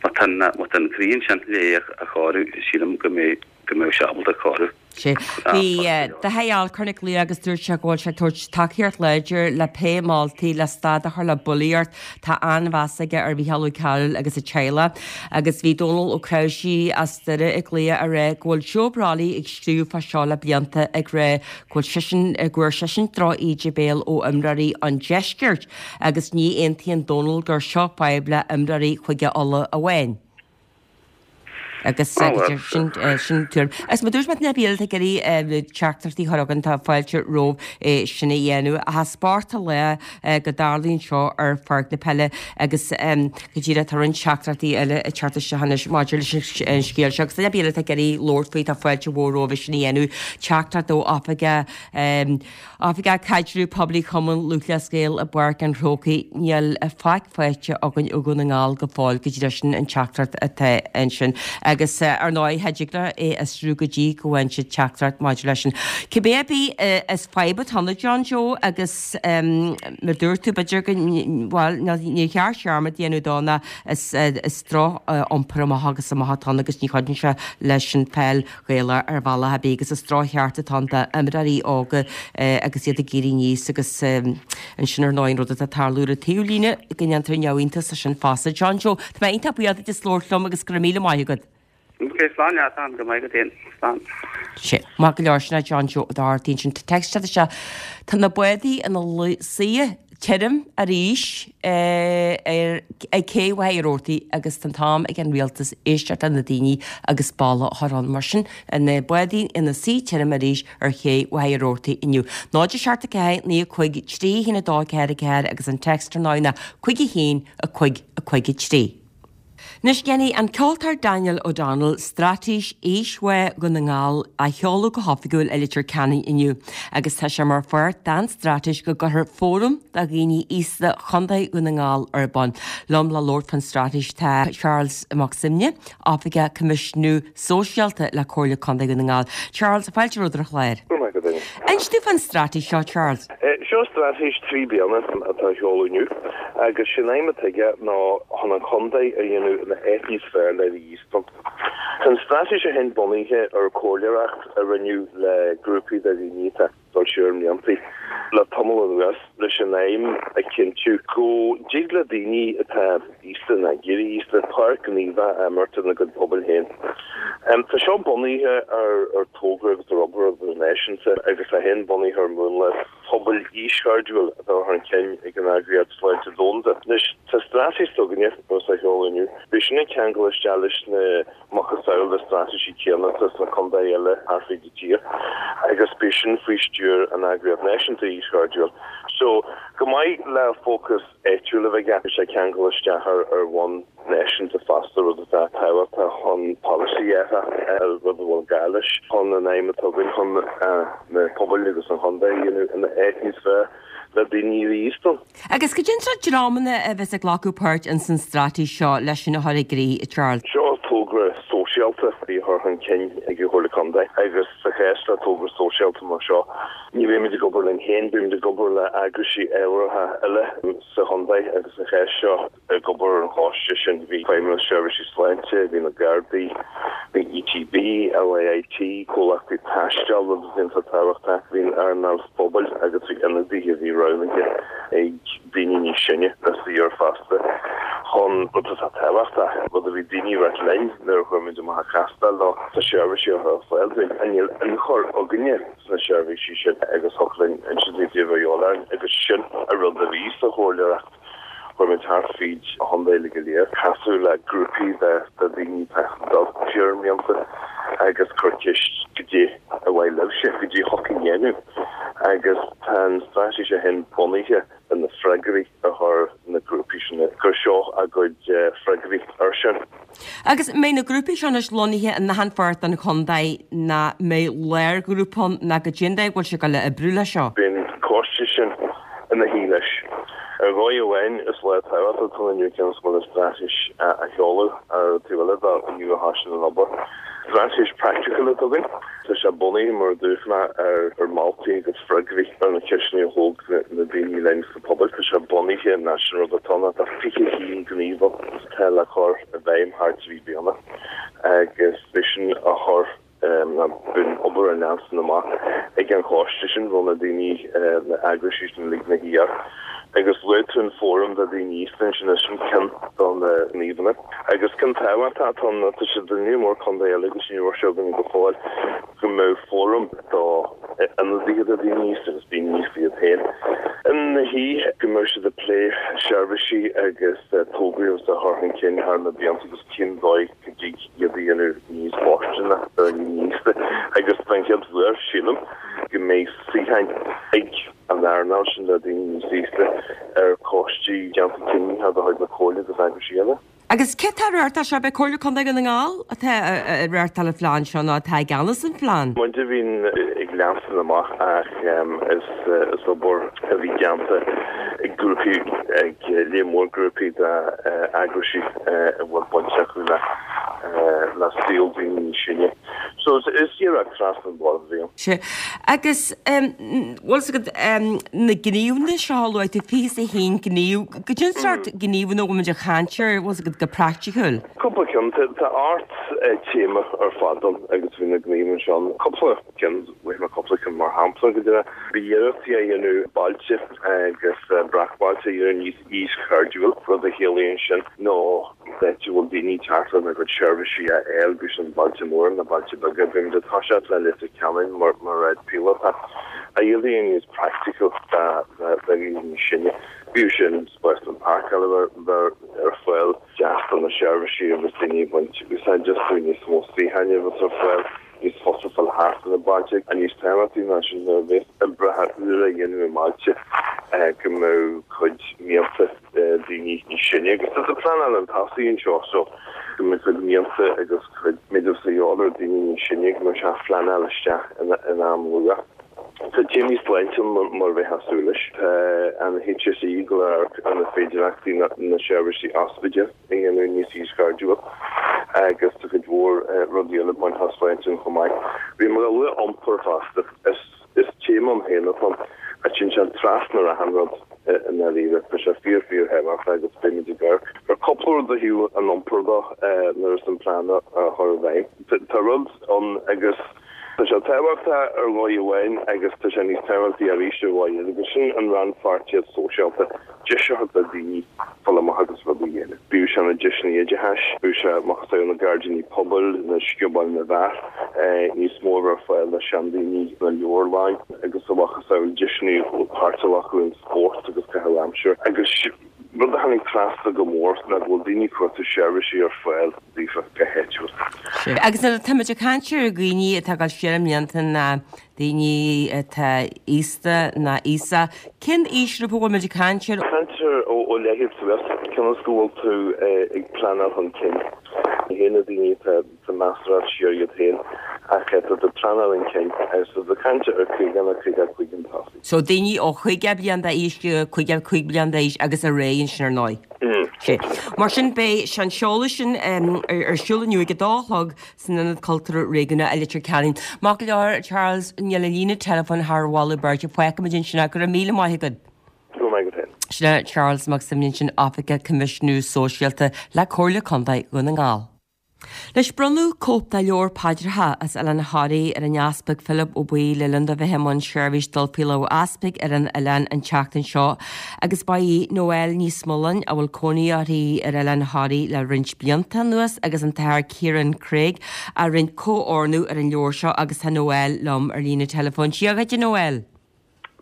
tá an má tá an croí ansin le é a chóiriú sílim go mbeidh go mbeidh sé ábalta cóiriú. Sea. Bhí Daithí Alcorn ag glaoch agus dúirt sé go bhfuil sé ag tabhairt tacaíocht láidir le pé moltaí le stad a chur le bulaíocht. Tá an-mheas aige ar Mhícheál Ó Cearúil agus a teaghlach. Agus bhí Dónal Ó Cnáimhsí as Doire ag glaoch a rá go bhfuil Joe Brolly ag scríobh fá seo le blianta ag rá go bhfuil seisean, go bhfuair seisean droch íde béil ó imreoirí an deiscirt agus ní aontaíonn Dónal gur seo fadhb le imreoirí Chúige Uladh amháin. Agus sin sin tuairim. Agus mar a dúirt mé na bíl ag iarraidh teachtaireachtaí a chur chugainn tá fáilte romhaibh é sin a dhéanamh. Ach spórt an lae go dtarlaíonn seo ar pháirc na peile agus go díreach tá roinnt teachtaireachtaí eile ag teacht isteach anois maidir leis an scéal seo. Agus duine ar bith eile atá ag iarraidh labhairt faoi tá fáilte mhór romhaibh é sin a dhéanamh. Teachtaireacht ó Oifigeach Oifigeach Caidreamh Poiblí Chumann Lúthchleas Gael i bPáirc an Chrócaigh, Níl faic faighte againn ó Dhún na nGall go fóill, go díreach sin an teachtaireacht atá ansin. Agus ar ndóigh, cha dtig leo é a fhiosrú go dtí go bhfaigheann siad teachtaireacht maidir leis sin. Cibé ar bith, is fadhb atá ann a John Joe agus mar dúirt tú, b'fhéidir go, bhuel, níor cheart dearmad a dhéanamh dó ná is droch-iompar amach agus amach atá ann agus ní chuidíonn sé leis an pheil Ghaelach ar bhealach ar bith agus is drochcheart atá ann d'imreoirí óga agus iad ag éirí aníos agus ansin ar ndóigh an rud atá ag tarlú ar an taobhlíne go ndéantar neamhiontas as sin fosta. John Joe, tá mé iontach buíoch duit as labhairt liom agus go raibh míle maith agat. Ok, slán leat, Ann, go maith agat féin. Slán. Sea, maith go leor, sin é John Joe Ó Dochartaigh ansin. Tá text isteach. Tá na bádaí ina suí tirim arís ar ag cé Mhachaire Rabhartaigh agus tá an t-am ag an rialtas éisteacht le na daoine agus balla a chur ann. Mar sin, na bádaí ina suí tirim arís ar ché Mhachaire Rabhartaigh inniu. 0 7 4 9 5 3 1 2 4 4 agus an text ar ndóigh ná 5 1 5 5 3. Anois déanfaidh an ceoltóir Daniel O'Donnell Straitéis Aoisbhá Dhún na nGall a sheoladh go hoifigiúil i Leitir Ceanainn inniu agus tá sé mar pháirt den straitéis go gcuirfear fóram do dhaoine aosta Chontae Dhún na nGall ar bun. Liom le labhairt fán straitéis tá Charles Mac Suibhne, Oifigeach Coimisiúnú Sóisialta le Comhairle Contae Dhún na nGall. Charles, fáilte romhat ar an chlár. Go raibh maith agat, Áine. Inis dúinn fán straitéis seo, Charles. Seo straitéis 3 bliana atá á sheoladh inniu agus sé'n aidhm atá aige ná chun an chontae a dhéanamh ina áit níos fearr le bheith aosta. Tá an straitéis seo féin bunaithe ar chomhairleoireacht a rinneadh le grúpaí de dhaoine atá ag dul siar i mblianta le tamall anuas leis an aidhm a chinntiú go dtig le daoine atá aosta nó ag éirí aosta páirt ghníomhach a imirt ina gcuid pobail féin. Tá seo bunaithe ar togra agus ar obair idirnáisiúnta agus é féin bunaithe ar mhúnla pobail aoischairdiúil atá á chur chun cinn ag an Eagraíocht Sláinte Dhomhanda. Anois, tá straitéis s'againne, agus á sheoladh inniu, beidh sin ag ceangal isteach leis na macasamhail de straitéisí céanna atá sna contaetha eile thart fríd an tír agus beidh sin faoi stiúir an Eagraíocht Náisiúnta Aoischairdiúil. So, chomh maith le fócas áitiúil a bheith aige, beidh sé ag ceangal isteach ar bhonn náisiúnta fosta, rud atá tábhachtach chun polasaí a fháil, rud a bhfuil gá leis chun an aidhm atá againn chun na pobail agus an chontae a dhéanamh ina áit níos fearr le daoine a bheith aosta. Agus cad é an sórt dreamanna a bheas ag glacadh páirt ins an straitéis seo leis sin a chur i gcrích, a Charles? Seo togra sóisialta a bhí á chur chun cinn ag an Chomhairle Contae agus sa chás le togra sóisialta mar seo, Ní bheimid ag obair linn féin, beimid ag obair le eagraisí ábhartha eile sa chontae agus sa chás seo ag obair ar an choiste sin bhí Feidhmeannas Seirbhísí Sláinte, bhí na Gardaí, bhí ETB, LAIT, comhlachtaí taistil, rud a bhí iontach tábhachtach, bhí an earnáil phobail agus bhí ionadaithe a bhí roghnaithe ag daoine níos sine le suí air fosta chun rud atá tábhachtach, rud a bhí daoine ag ráit linn nuair a chuir muid amach an chástáil ná tá seirbhísí á chur ar fáil dúinn ach níl ionchur againne. sna seirbhísí sin agus thiocfadh linn insint daoibh cad é a bhí de dhíobháil orainn agus sin an rud a bhí sa chomhairleoireacht. Chuaigh muid thart fríd an chontae uilig go léir, casadh le grúpaí de dhaoine atá ag dul siar i mblianta agus cur ceist goidé ar mhaith libhse, goidé a thiocfadh a dhéanamh agus tá an straitéis seo féin bunaithe ar na freagraí a chuir na grúpaí sin, gur seo a gcuid freagraí air sin. Agus mbeidh na grúpaí seo anois lonnaithe in achan pháirt den chontae ná mbeidh lárghrúpa ann ná goidé an dóigh a bhfuil sé ag dul a oibriú leis seo? Beidh an coiste sin ina shuí leis. Ar dhóigh amháin, is lá tábhachtach atá ann inniu cionn is go bhfuil an straitéis á sheoladh ar an taobh eile de, inniu a thosaíonn an obair. Straitéis praiticiúil atá againn. Tá sé bunaithe, mar a dúirt mé, ar mholtaí agus freagraí ar na ceisteanna a thóg na daoine linn sna pobail. Tá sé bunaithe, ná sin rud atá ann, tá 21 gníomh ann atá le cur i bhfeidhm thar 3 bliana agus beidh sin á chur. Ná bíonn obair á leanstan amach ag an choiste sin, bhfuil na daoine, na eagraisí sin uilig ina shuí air. Agus luaigh tú an fóram do daoine aosta ansin, is sin ceann de na gníomhanna. Agus ceann tábhachtach atá ann, tá siad i lear mór contae eile agus ní raibh sé againn go fóill, go mbeadh fóram do ionadaithe do daoine aosta agus daoine aosta iad féin ina shuí, go mbeadh siad ag plé seirbhísí agus tograí agus a chur chun cinn thar na blianta agus cén dóigh go dtig iad a dhéanamh níos fóirsteanaí do dhaoine aosta agus den chéad uair, sílim, go mbeidh suíocháin ag an earnáil sin le daoine níos aosta ar choistí déanta cinntí de chuid na Comhairle agus eagraisí eile. Agus cé atá ag reáchtáil seo? Ab é Comhairle Contae Dhún na nGall atá ag reáchtáil an phlean seo nó atá i gceannas an phlean? Muid a bhíonn ag leanstan amach ach is obair a bhí déanta ag grúpaí, ag lear mór grúpaí d'eagraisí a bhfuil baint acu le le saol daoine níos sine. So is iarracht trasna an bord a bhí ann. Sea. Agus bhfuil fhios agat na gníomhanna seo a luaigh tú, 21 gníomh, goidé an sórt gníomhanna a bhfuil muid ag caint air, bhfuil fhios agat, go praiticiúil? Cúpla ceann. Tá ocht téama ar fad ann agus bhí na gníomhanna seo ann. Cúpla ceann, luaigh mé cúpla ceann mar shampla go deimhin. Bhí iarrachtaí á dhéanamh bailte agus breacbhailte a dhéanamh níos aoischairdiúil, rud a chiallaíonn sin nó áit a bhfuil daoine ag teacht lena gcuid seirbhísí a fháil, bíodh sin bailte móra nó bailte beaga. Beimid ag toiseacht le Leitir Ceanainn mar áit píolótach a iad a dhéanamh níos praiticiúil do dhaoine níos sine, bíodh sin spásanna páirceála a bheith ar fáil, deas do na seirbhísí agus daoine ag baint úsáid astu, níos mó suíocháin a bheith ar fáil. níos fusa fáil thart ar na bailte. Níos tábhachtaí ná sin, nuair a bheas oibreacha úra á dhéanamh i mbailte, go mbeadh cuid mianta daoine níos sine, agus tá pleanáil chun tosaigh anseo, so go mbeadh cuid mianta agus cuid méid a bheas de dhíobháil ar daoine níos sine, go mbeadh sé á phleanáil isteach in am luath. Tá téamaí sláinte ann mar a bheifeá ag súil leis. Tá an HSE ag dul a amharc ar na féidearthachtaí na seirbhísí ospidéil. a dhéanamh níos aoischairdiúil agus tá cuid mhór rudaí eile bainteach le sláinte ann chomh maith. Bhí mé ag lua iompar fosta. Is téama ann féin atá ann. Ach téann sé trasna ar achan rud i ndáiríre. Tá sé fíor fíor thábhachtach agus beimid ag amharc ar cúpla rud ó thaobh an iompair de nuair is an plean á chur i bhfeidhm. Tá rud ann agus tá sé tábhachtach ar dhóigh amháin agus tá sé níos tábhachtaí arís ar dhóigh eile agus sin an rannpháirtíocht sóisialta. Deis a thabhairt do dhaoine fáil amach agus rudaí a dhéanamh. Bíodh sé na deiseanna oideachais, bíodh sé macasamhail na gairdíní pobail, na sciobóil na bhfear, níos mó a bheith ar fáil do seandaoine na leabharlainn agus a mhacasamhail deiseanna páirt a ghlacadh in spórt agus caitheamh aimsire. Agus rud a tháinig trasna go mór ná go bhfuil daoine ag cuartú seirbhísí ar fáil daofa go háitiúil. Agus nuair atáimid ag caint ar dhaoine atá ag dul siar i mblianta ná daoine atá aosta ná aosach, cén aoisghrúpa a bhfuil muid ag caint air? Caint ar ó leithéid suas, cionn is go bhfuil tú ag pleanáil chun cinn. Ní hé na daoine atá measartha siar iad féin ach tá tú ag pleanáil chun cinn. So tá caint ar 50 nó 55 chun tosaigh. So daoine ó 50 bliain d'aois go 55 bliain d'aois agus ar aghaidh ansin ar ndóigh. Sea. Mar sin beidh an seoladh sin ar siúl inniu ag a dó a chlog san Ionad Cultúrtha Réigiúnach i Leitir Ceanainn. Maith go leor, Charles, níl an líne teileafóin thar mholadh beirte. Fágfaimid ansin é. Go raibh míle maith agat. Go raibh maith agat féin. Sin é Charles Mac Suibhne ansin, Oifigeach Coimisiúnú Sóisialta le Comhairle Contae Dhún na nGall. Anois bronnadh cóip de leabhar paidreacha as Oileán Thoraí ar an Easpag Philib Ó Baoill le linn dó bheith i mbun seirbhís dul faoi lámh easpaig ar an oileán an tseachtain seo agus ba í Noelle Ní Smuileáin, a bhfuil cónaí uirthi ar Oileán Thoraí le roinnt blianta anuas, agus an tAthair Ciarán Craig a rinne comhordú ar an leabhar seo agus tá Noelle liom ar líne teileafóin. Dia dhuit, a Noelle.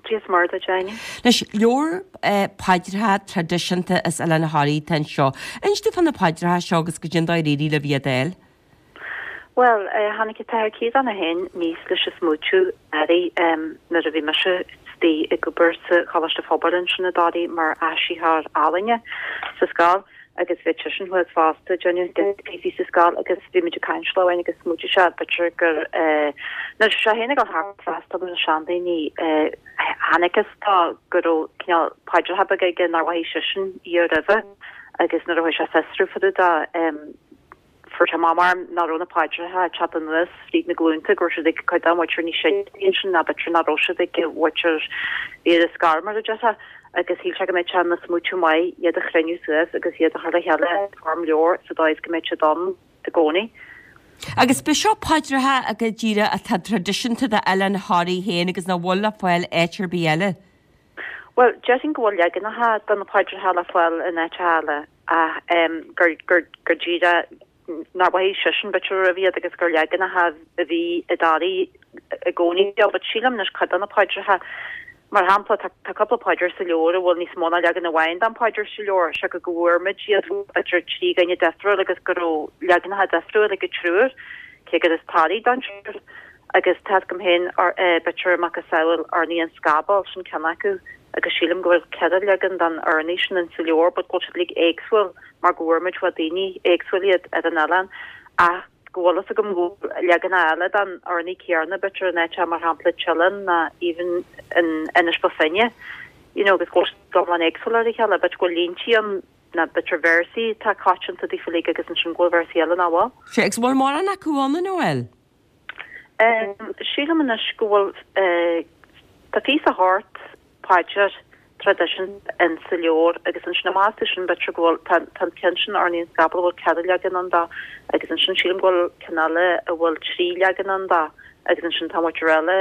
Dia is Muire duit, Áine. Anois, leabhar paidreacha traidisiúnta as Oileán Thoraí atá anseo. Inis domh fá na paidreacha seo agus goidé an dóigh ar éirigh libh iad a fháil. Bhuel, tháinig an tAthair Ciarán é féin aníos leis an smaoitiú anuraidh nuair a bhí mise istigh ag obair sa Choláiste Phobail ansin i dToraigh mar áisitheoir ealaíne sa scoil agus bhí seisean thuas fosta ag déanamh píosaí sa scoil agus bhí muid ag caint lá amháin agus smaoitigh sé b'fhéidir gur nuair a bhí sé féin ag dul thart ag freastal ar na seandaoine chonacthas dó go raibh cineál paidreacha beaga aige nár mhothaigh seisean iad roimhe agus nuair a chuaigh sé ag fiosrú fá dtaobh de Fuair sé amach mar nach raibh na paidreacha ag teacht anuas fríd na glúnta, go raibh siad ag cuid dá mhuintir níos sine ansin ná b'fhéidir nach raibh siad ag an mhuintir a bhí ar an scor mar a déarfá, agus shíl sé go mbeadh sé ina smaoitiú maith iad a chruinniú suas agus iad a chur le chéile i bhfoirm leabhair sa dóigh is go mbeadh siad ann i gcónaí. Agus b'é seo paidreacha go díreach atá traidisiúnta d'Oileán Thoraí féin agus nach bhfuil le fáil áit ar bith eile. Bhuel, déarfainn go bhfuil leaganacha de na paidreacha le fáil in áiteacha eile ach gur, gur, gur díreach nár mhothaigh seisean b'fhéidir riamh iad agus gur leaganacha a bhí i dToraigh i gcónaí but sílim anois cuid de na paidreacha, mar shampla, tá, tá cúpla paidir sa leabhar a bhfuil níos mó ná leagan amháin den phaidir sa leabhar, siocair go bhfuair muid iad b'fhéidir trí dhuine difriúil agus go raibh leaganacha difriúil ag an triúr, cé gur as Toraigh don triúr. Agus tá 'fhios agam féin, b'fhéidir macasamhail Urnaí an Scabaill, sin ceann acu, agus sílim go bhfuil ceithre leagan den urnaí sin in sa leabhar but go bhfuil siad uilig éagsúil mar go bhfuair muid ó daoine éagsúil iad ar an oileán ach go bhfuil fhios agam go bhfuil leaganacha eile den urnaí céarna b'fhéidir in áiteacha mar shampla Teileann ná even in Inis Bó Finne you know agus go bhfuil siad iomlán éagsúil ar a chéile b'fhéidir go bhfuil líntí ann ná b'fhéidir véarsaí atá coitianta daofa uilig agus ansin go bhfuil véarsaí eile nach bhfuil. Sea, agus bhfuil mórán acu ann, a Noel? Sílim anois go bhfuil, tá fiche is a hocht paidir traidisiúnta in sa leabhar agus ansin amach astu sin b'fhéidir go bhfuil, tá an ceann sin Urnaí an Scabaill a bhfuil ceithre leagan ann dó agus ansin sílim go bhfuil ceann eile a bhfuil trí leagan ann dó agus ansin tá muid ar eile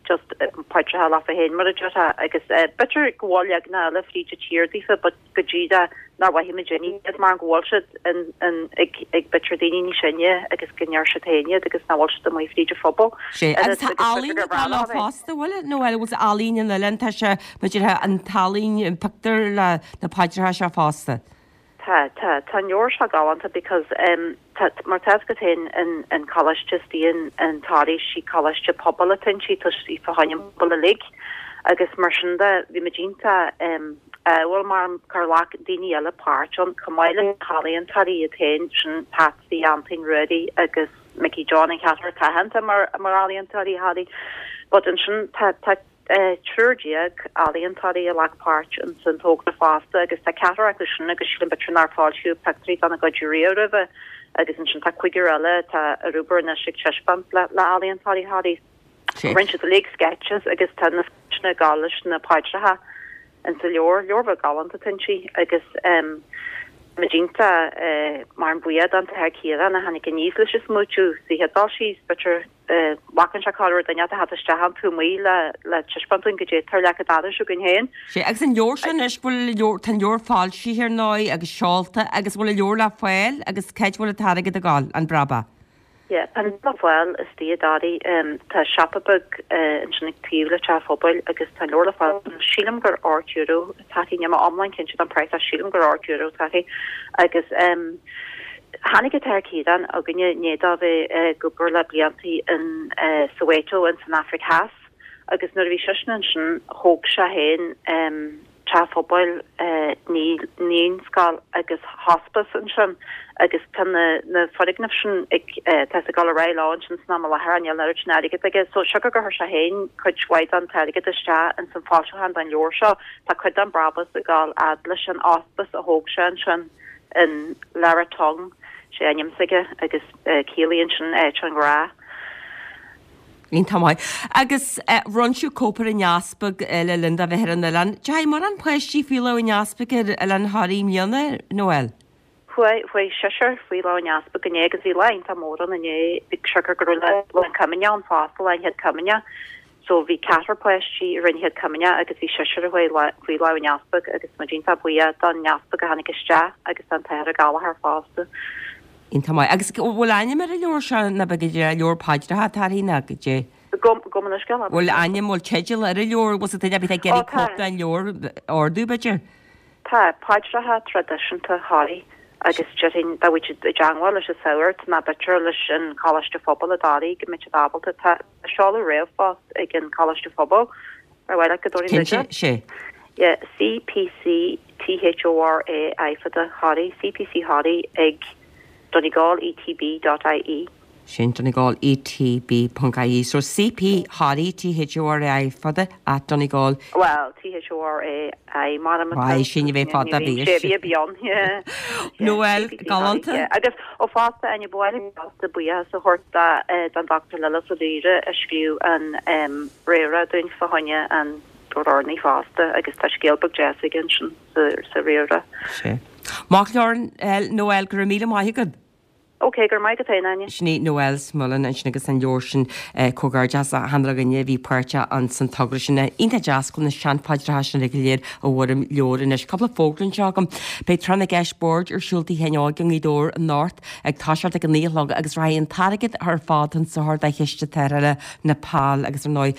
just paidreacha leofa féin mar a déarfá agus b'fhéidir go bhfuil leaganacha eile fríd an tír daofa but go díreach nár mhothaigh muid iad mar go bhfuil siad in in ag ag b'fhéidir daoine níos sine agus go ndeir siad féin iad agus nach bhfuil siad amuigh fríd an phobal. Sea, agus tá ealaín ag dul leo fosta, bhfuil, nó bhfuil ealaín an oileáin, tá sé, b'fhéidir, an t-ealaín, an pictiúr le na paidreacha seo fosta. Tá, tá, tá an leabhar seo galánta because em tá, mar tá 'fhios agat féin an, an coláiste istigh in, in Toraigh, sí coláiste pobail atá inti, tá sí fá choinne an pobal uilig agus mar sin de bhí muid iontach em ádhúil mar gur ghlac daoine eile páirt ann chomh maith le healaíontóirí iad féin, sin Patsy, Antaine, Ruairí agus Mickey John an cheathrar atá aitheanta mar, mar ealaíontóirí Thoraí but ansin tá, tá, triúr déag ealaíontóirí a ghlac páirt ins an togra fosta agus tá ceathrar acu sin agus sílim b'fhéidir nár foilsíodh pictiúirí dá gcuid riamh roimhe agus ansin tá cúigear eile atá ar obair anois ag taispeáint le ealaíontóirí Thoraí. Rinne siad uilig sketches agus tá na sketcheanna ag gabháil leis na paidreacha ins an leabhar, leabhar bheag galánta atá inti agus muid iontach mar an buíoch don tAthair Ciarán a tháinig aníos leis an smaoitiú sa chéad dul síos, b'fhéidir. Bhacann sé corruair duine a theacht isteach an taobh amuigh le le taispeáint dúinn goidé atá ar leac an dorais againn féin. Sea, agus an leabhar seo anois, bhfuil leabhar, tá an leabhar foilsithe ar ndóigh agus seolta agus bhfuil an leabhar le fáil agus cá háit bhfuil an t-airgead ag gabháil, an brabach? Yeah, tá an leabhar le fáil istigh i dToraigh. Tá siopa beag ansin ag taobh le teach an phobail agus tá an leabhar le fáil. Sílim gur €8 atá sé, níl mé iomlán cinnte den praghas ach sílim gur €8 atá sé agus. Tháinig an tAthair Ciarán chugainne i ndiaidh dó bheith ag obair le bliantaí in Soweto in san Afraic Theas agus nuair a bhí seisean ansin thóg sé féin teach phobail, naíscoil agus hospice ansin agus tá na na foirgnimh sin ag tá sé ag dul ar aghaidh leo ansin san am i láthair níl an oiread sin airgead aige so siocair gur chuir sé féin cuid mhaith den t-airgead isteach ins an foilseachán den leabhar seo tá cuid den brabús ag dul fhad leis an hospice a thóg sé ansin. in Leratong, sé ainm s'aige agus ciallaíonn sin áit an ghrá. Iontach maith. Agus bhronn sibh cóip ar an Easpag le linn dó bheith ar an oileán. Deachaigh mórán páistí faoi lámh an Easpaig ar Oileán Thoraí i mbliana, Noel? Chuaigh, chuaigh seisear faoi lámh an Easpaig inné agus bhí lá iontach mór ann inné, siocair go raibh lá an Chomaoineach ann fosta, lá an Chéad Chomaoineach. So bhí ceathrar páistí a rinne an Chéad Chomaoineach agus bhí seisear a chuaigh faoi lámh an Easpaig agus muid iontach buíoch don Easpag a tháinig isteach agus don tAthair Ó Gallchóir fosta. Iontach maith. Agus an bhfuil ainm ar an leabhar seo nó b'fhéidir leabhar paidreacha atá uirthi nó goidé? Gabh mo leithscéal. Bhfuil ainm, bhfuil teideal ar an leabhar, bhfuil sa duine ar bith ag iarraidh cóip den leabhar a ordú b'fhéidir? Tá, paidreacha traidisiúnta Thoraí agus déarfainn dá bhfuil siad i dteangmháil leis an Sagart nó b'fhéidir leis an Choláiste Phobail i dToraigh go mbeidh siad ábalta. Tá seoladh ríomhphost ag an Choláiste Phobail ar mhaith leat go dtabharfainn duit é? Cinnte, sea. Yeah, CPC THORA I fada Thoraí, CPC Thoraí ag Donegal ETB dot IE. Sin Donegal ETB ponc IE. So CP Thoraí, T H O R A I fada, at Donegal. Bhuel, T H O R A I mar a Why, sin a bheith fada, bhí. Sé bhí a bionn, yeah. Noel, galánta. Agus ó fosta, Áine, ba mhaith liom fosta buíochas a thabhairt don Dr Lillis Ó Laoire a scríobh an réamhrá dúinn fá choinne an leabhar urnaí fosta agus tá scéal beag deas aige ansin sa réamhrá. Sea. Maith go leor, Noel, go raibh míle maith agat. Ok, go raibh maith agat féin, Áine. Sin í Noelle Smullen ansin agus an leabhar sin, comhghairdeas le achan uile dhuine a bhí páirteach ins an togra sin. Iontach deas go bhfuil na seanphaidreacha sin uilig go léir i bhfoirm leabhair anois. Cúpla fógra anseo agam. Beidh Tráth na gCeist Boird ar siúl Tigh Sheáin Óig i nGaoth Dobhair anocht ag toiseacht ag a 9 a chlog agus rachaidh an t-airgead ar fad chun sochair do Chiste Tarrthála Nepal agus ar ndóigh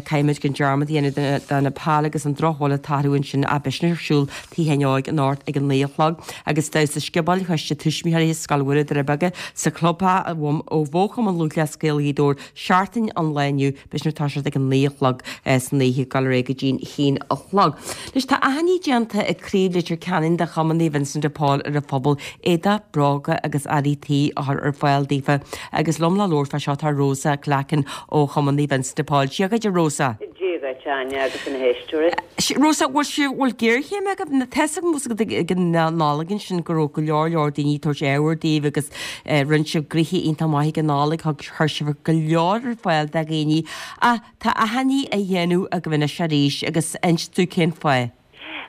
caithfimid gan dearmad a dhéanamh de Nepal agus an drochbhail atá tarlú ansin ach beidh sin ar siúl Tigh Sheáin Óig anocht ag a 9 a chlog agus damhsa sciobóil Choiste Tuismitheoirí Scoil Mhuire Doire Beaga sa chlubtheach ó Bhó-Chumann Lúthchleas Gael Ghaoth Dobhair seachtain an lae inniu beidh sin ag toiseacht ag a 9 a chlog san oíche ag dul ar aghaidh go dtí'n haon a chlog. Anois tá achainí déanta ag Craobh Leitir Ceanainn de Chumann Naomh Vincent de Paul ar an phobal éadach, bróga agus earraí tí a chur ar fáil daofa agus liom le labhairt fá seo tá Rosa Glackin ó Chumann Naomh Vincent de Paul. Dia dhuit a Rosa. Dia dhuit, Áine, agus na héisteoirí. Rosa, bhfuil sibh, bhfuil géarchéim agaibh? Tá 'fhios agam ag an Nollaig ansin go raibh go leor leor daoine ag tabhairt ábhair daoibh agus rinne sibh gnoithe iontach maith ag an Nollaig, thug, chuir sibh go leor ar fáil do dhaoine. Ach tá achainí á dhéanamh agaibh anois arís agus inis dúinn cén fáth.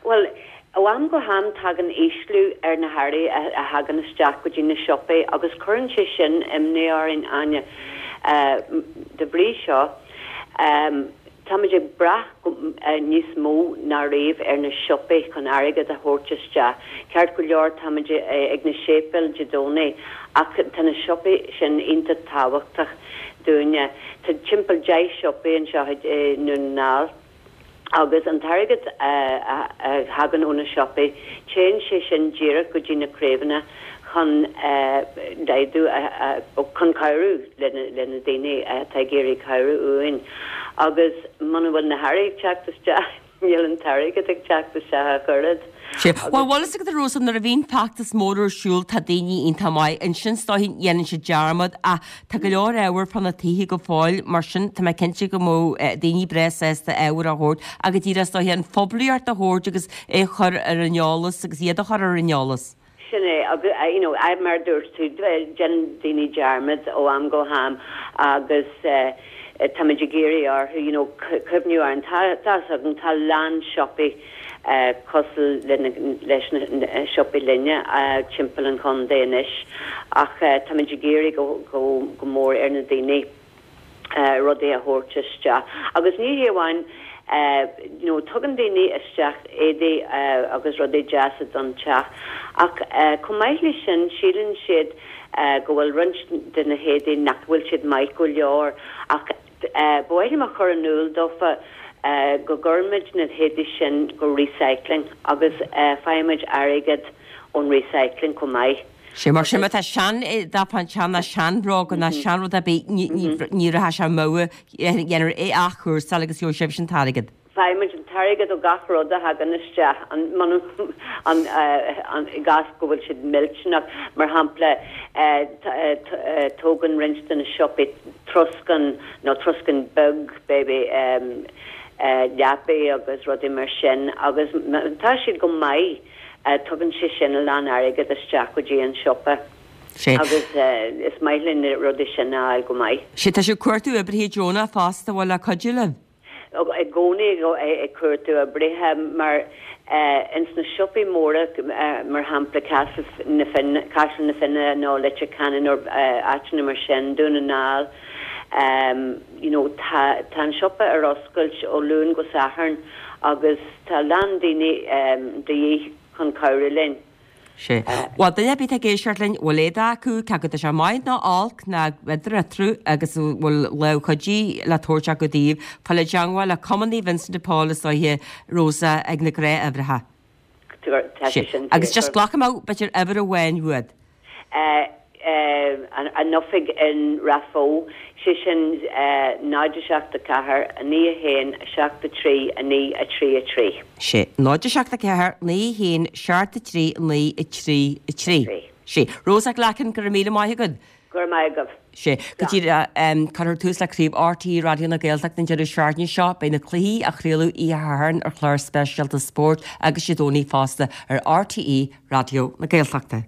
Bhuel, ó am go ham tagann ísliú ar na hearraí a thagann isteach go dtí na siopaí agus cuireann sé sin imní orainn, Áine. De bhrí seo, táimid ag brath níos mó ná riamh ar na siopaí chun airgead a thabhairt isteach. Ceart go leor, táimid ag na séipéil Dé Domhnaigh ach tá na siopaí sin iontach tábhachtach dúinne. Tá timpeall 10 siopaí anseo i nDún na nGall. Agus an t-airgead a thagann ó na siopaí, téann sé sin díreach go dtí na craobhanna chun laghdú, chun cabhrú le na daoine atá ag iarraidh cabhrú uainn. Agus muna bhfuil na hearraí ag teacht isteach, níl an t-airgead ag teacht isteach ach oiread. Sea. Bhuel, bhfuil fhios agat a Rosa, nuair a bhíonn feachtas mór ar siúl, tá daoine iontach maith. Ansin, is dóichí, dhéanann siad dearmad ach Tá go leor ábhar fá na tithe go fóill, mar sin tá mé cinnte go mbeadh daoine breá sásta ábhar a thabhairt ach go díreach is dóiche an phoiblíocht a thabhairt agus é a chur ar an eolas agus iad a chur ar an eolas. Sin é, agus you know, mar a dúirt tú, déanann daoine dearmad ó am go ham agus táimid ag iarraidh orthu, you know, cuimhniú orainn. Tá, tá 'fhios agam, tá a lán siopaí cosúil leis na siopaí linne timpeall an chontae anois ach táimid ag iarraidh go mór ar na daoine rudaí a thabhairt isteach. Agus ní hé amháin you know tugann daoine isteach éadaí agus rudaí deasa don teach ach chomh maith leis sin síleann siad go bhfuil roinnt de na héadaí nach bhfuil siad maith go leor ach Ba mhaith liom a chur in iúl dófa go gcuirimid na héadaí sin go recycling agus faighimid airgead ón recycling chomh maith. Sea, mar sin má tá sean-éadach fán teach ná seanbhróga ná seanrud ar bith, ní rachaidh sé amú, dhéanfar é a athchúrsáil agus gheobhaidh sibhse an t-airgead. Faighimid an t-airgead ó gach rud a thagann isteach, i gcás go bhfuil siad millteanach. Mar shampla, tógann roinnt de na siopaí troscán nó troscán beag, baby, leapaí agus rudaí mar sin agus má tá siad go maith, tugann sé sin a lán airgead isteach go dtí an siopa. Agus is maith linn na rudaí sin a fháil go maith. Sea, tá sibh ag cuartú oibrithe deonacha fosta, bhfuil le cuidiú libh? i gcónaí ag cuartú oibrithe mar ins na siopaí móra mar shampla Castle na Finne, Caiseal na Finne nó Leitir Ceanainn nó áiteanna mar sin, Dún na nGall you know tá tá an siopa ar oscailt ó Luan go Satharn agus tá a lán daoine de dhíth chun cabhrú linn. Sea. Bhuel, duine ar bith atá ag éisteacht linn, bhfuil éadach acu, cé acu tá sé maith nó olc, ná idir eatarthu, agus a bhfuil lámh chuidí le tabhairt acu daoibh, fáil i dteangmháil le Cumann Naomh Vincent de Paul is dóiche, Rosa, ag na gnáth-uimhreacha. Tá sé sin Agus just glacfaidh mé, b'fhéidir, uimhir amháin uait. An oifig in Rath Bhoth, sé sin 0 7 4 9 1 7 3 9 3 3. Sé, 0 7 4 9 1 7 3 9 3 3. Sé. Rosa Glackin, go raibh míle maith agat. Go raibh maith agaibh. Sé, go díreach, cuirfear tús le Craobh RTÉ Raidió na Gaeltachta an deireadh seachtaine seo. Beidh na cluichí á chraoladh oíche Shathairn ar chlár speisialta spóirt agus Dé Domhnaigh fosta ar RTÉ Raidió na Gaeltachta.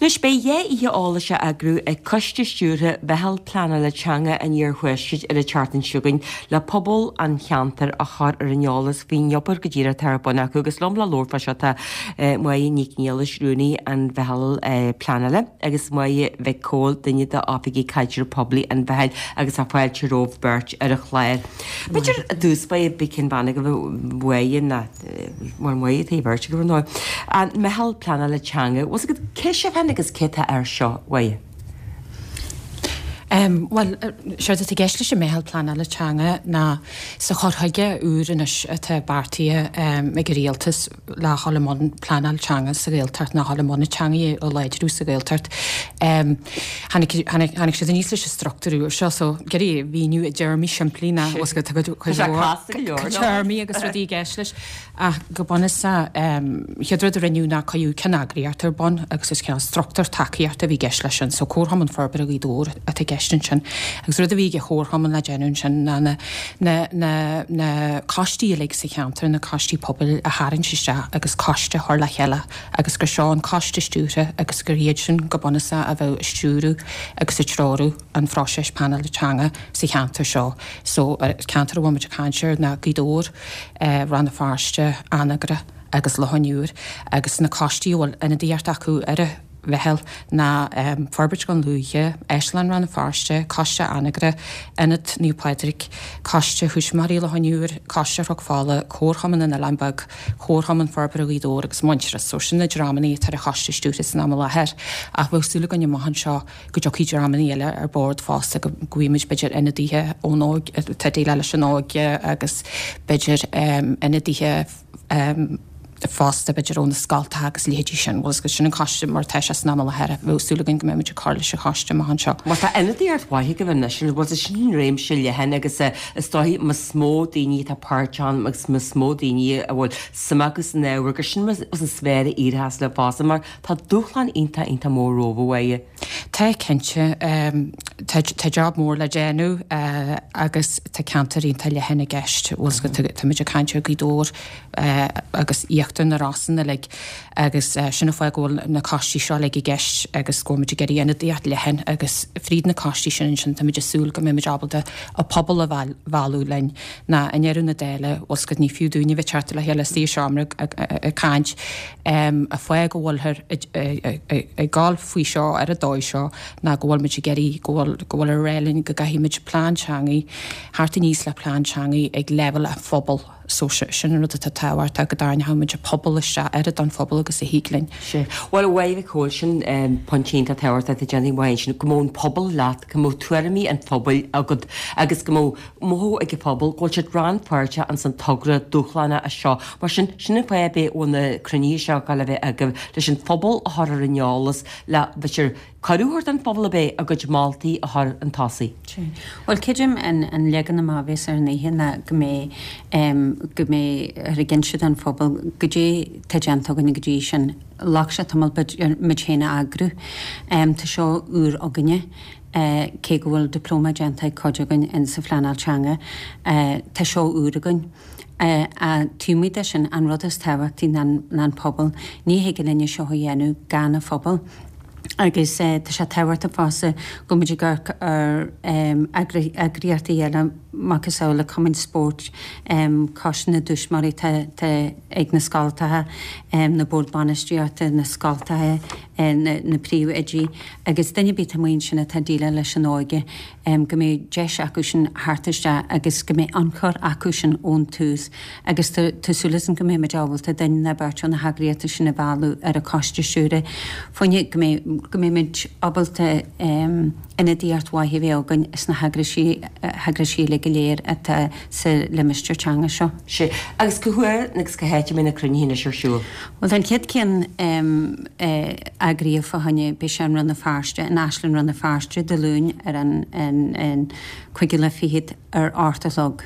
Anois beidh 2 oíche eolais á eagrú ag Coiste Stiúrtha Mheitheal Pleanála Teanga an Iarthuaiscirt ar an tseachtain seo chugainn le pobal an cheantair a chur ar an eolas faoin obair go díreach atá ar bun acu agus liom le labhairt fá seo tá Máire Nic Niallais, Rúnaí an Mheitheal Pleanála agus Máire Mhic Cóil, duine d'Oifigigh Caidreamh Poiblí an Mheitheal agus tá fáilte romhaibh beirt ar an chlár. B'fhéidir i dtús báire beidh ceann bean agaibh a Mháire ná Mar Mháire tá beirt agaibh ar ndóigh. An Meitheal Pleanála Teanga, bhfuil 's agat cé sibh féin agus cé tá air seo, a Mháire? Bhuel, séard atá i gceist leis an Meitheal Pleanála Teanga ná sa chur chuige úr anois atá beartaithe ag an Rialtas le dhul i mbun pleanáil teanga sa Ghaeltacht ná dhul i mbun an teanga a láidriú sa Ghaeltacht. Tháinig tháinig siad aníos leis an struchtúr úr seo so ag iarraidh a mhíniú i dtéarmaí simplí ná bhfuil 's agat tá cuid Tá sé casta go leor, nó? téarmaí agus rudaí i gceist leis. Ach go bunúsach, chéad rud a rinneadh ná cuireadh ceanneagraíocht ar bun agus is cineál struchtúr tacaíochta a bhí i gceist leis sin. So Comharchumann Forbartha Ghaoth Dobhair atá i gceist ansin. Agus rud a bhí ag an Chomharchumann le déanamh ansin ná na na na na coistí uilig sa cheantar, na coistí pobail a tharraingt isteach agus coiste a chur le chéile agus gur seo an coiste stiúrtha agus gur iad sin go bunúsach a bheadh ag stiúradh agus ag treorú an phróiseas pleanála teanga sa cheantar seo. So ceantar a bhfuil muid ag caint air ná Gaoth Dobhair, Rann na Feirste, Anagaire agus Loch an Iúir agus na coistí a bhfuil ionadaíocht acu ar an mheitheal ná Forbairt Dhún Lúiche, Áislann Rann na Feirste, Coiste Anagaire, Ionad Naomh Pádraig, Coiste Thuismitheoirí Loch an Iúir, Coiste Chnoc Fola, Comharchumann an Oileáin Beag, Comharchumann Forbartha Ghaoth Dobhair agus Muintearas. So sin na dreamanna atá ar an choiste stiúrtha san am i láthair ach bheadh súil againn amach anseo go dtiocfaidh dreamanna eile ar bord fosta, go bhfaighimid b'fhéidir ionadaithe ón óig, atá ag déileáil leis an óige agus b'fhéidir ionadaithe fosta b'fhéidir ó na scoltacha agus a leithéidí sin. Bhuel, sin an coiste mar atá sé san am i láthair. Bheadh súil againn go mbeidh muid ag cur leis an choiste amach anseo. Bhuel, tá ionadaíocht mhaith agaibh anois, bhuel, sin réimse leathan agus is dóigh más mó daoine atá páirteach ann agus más mó daoine a bhfuil suim acu san ábhar gur sin an sféar a éireochas leo fosta mar Tá dúshlán iontach, iontach mór romhaibh, a Mháire. Tá, cinnte. Tá, tá job mór le déanamh agus tá ceantar iontach leathan i gceist. Bhfuil 's agat, tá muid ag caint ar Ghaoth Dobhair agus íochtar na Rosann uilig agus sin an fáth go bhfuil na coistí seo uilig i gceist agus go bhfuil muid ag iarraidh ionadaíocht leathan agus fríd na coistí sin ansin tá muid ag súil go mbeidh muid ábalta an pobal a mhealladh linn ná i ndeireadh na dála, bhfuil 's agat, ní fiú dúinne a bheith teacht le chéile istigh i seomra ag caint. An fáth go bhfuilthear ag gabháil faoi seo ar an dóigh seo ná go bhfuil muid ag iarraidh, go bhfuil, go bhfuil á rá linn go gcaithfidh muid plean teanga, theacht aníos le plean teanga ag leibhéal an phobail. So sin an rud atá tábhachtach, go dtarraingeoidh muid an pobal isteach, oiread den phobal agus a thig linn. Sea. Bhuel, a Mháire Mhic Cóil, sin pointe iontach tábhachtach atá déanta ag Máire ansin, go mbeadh an pobal leat, go mbeadh tuairimí an phobail agat agus go mbeadh mothú ag an phobal go bhfuil siad rannpháirteach ins an togra dúshlánach seo. Mar sin, sin an fáth a bhfuil na cruinnithe seo ag dul a bheith agaibh, leis an phobal a chur ar an eolas, le, b'fhéidir, cuireadh a thabhairt don phobal ab é a gcuid moltaí a chur chun tosaigh. Sea. Bhuel, creidim an leagan amach a bheas ar an oíche ná go mbeidh, go mbeidh ag inse don phobal goidé tá déanta againn go dtí sin. Ghlac sé tamall b'fhéidir muid féin a eagrú. Tá seo úr againne. Cé go bhfuil dioplóma déanta ag cuid againn in sa phleanáil teanga, tá seo úr againn. Taobh amuigh de sin, an rud is tábhachtaí ná an pobal. Ní thig linne seo a dhéanamh gan an phobal. Agus tá sé tábhachtach fosta go mbeidh muid ag amharc ar eagraíochtaí eile, macasamhail cumainn spóirt, coiste na dtuismitheoirí atá ag na scoltacha, na boird bainistíochta, na scoltacha, na príomhoidí. agus duine ar bith atá amuigh ansin atá ag déileáil leis an óige, go mbeidh deis acu sin theacht isteach agus go mbeidh ionchur acu sin ón tús agus tá súil agam go mbeidh muid ábalta duine nó beirt ó na heagraíochtaí sin a mhealladh ar an choiste stiúrtha fá choinne go mbeidh go mbeidh muid ábalta ionadaíocht mhaith a bheith againn sna heagraisí heagraisí uilig go léir atá sa limistéar teanga seo. Sea. Agus cá huair agus cá háit a mbeidh na cruinnithe anois ar siúl? Bhuel, tá an chéad ceann eagraithe fá choinne, beidh sé i Rann na Feirste, in Áislann Rann na Feirste, Dé Luain ar an cúigiú lá fichead ar 8 a chlog.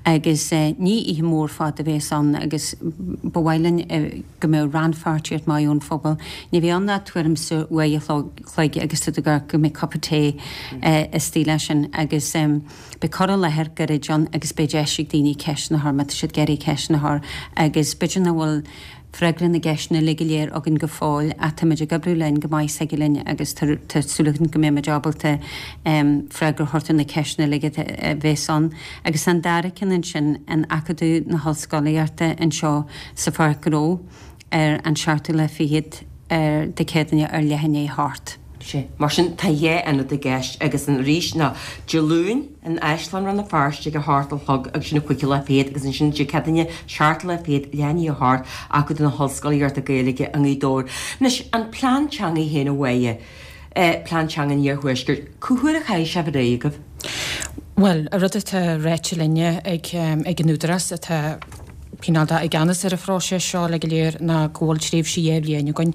Agus ní oíche mhór fada a bhéas ann agus ba mhaith linn go mbeadh rannpháirtíocht maith ón phobal. Ní bheidh ann ach tuairim is uair a chloig agus tá tú ag amharc go mbeidh cupa tae istigh leis sin agus beidh cur i láthair gairid ann agus beidh deis ag daoine ceisteanna a chur má tá siad ag iarraidh ceisteanna a chur agus b'fhéidir nach bhfuil. freagra na gceisteanna uilig go léir againn go fóill ach táimid ag oibriú linn go maith s'aige linn agus tá súil againn go mbeimid ábalta freagra a thabhairt ar na ceisteanna uilig a bheas ann. Agus an dara ceann ansin, in Acadamh na hOllscolaíochta anseo sa Pháirc Ghnó ar an seachtú lá fichead ar Dé Céadaoine ar leath i ndiaidh a hocht. Sea. Mar sin, tá dhá ionad i gceist agus an arís ná Dé Luain in Áislann Rann na Feirste ag a hocht a chlog agus sin an cúigiú lá fichead agus ansin Dé Céadaoine seachtú lá fichead leath i ndiaidh a hocht Acadamh na hOllscolaíochta Gaeilge i nGaoth Dobhair. Anois, an plean teanga féin a Mháire, plean teanga an Iarthuaiscirt, cá huair a chaithfidh sé a bheith réidh agaibh? Bhuel, an rud atá ráite linne ag an Údarás atá cineál de i gceannas ar an phróiseas seo uilig go léir ná go bhfuil tréimhse 2 bhliain againn,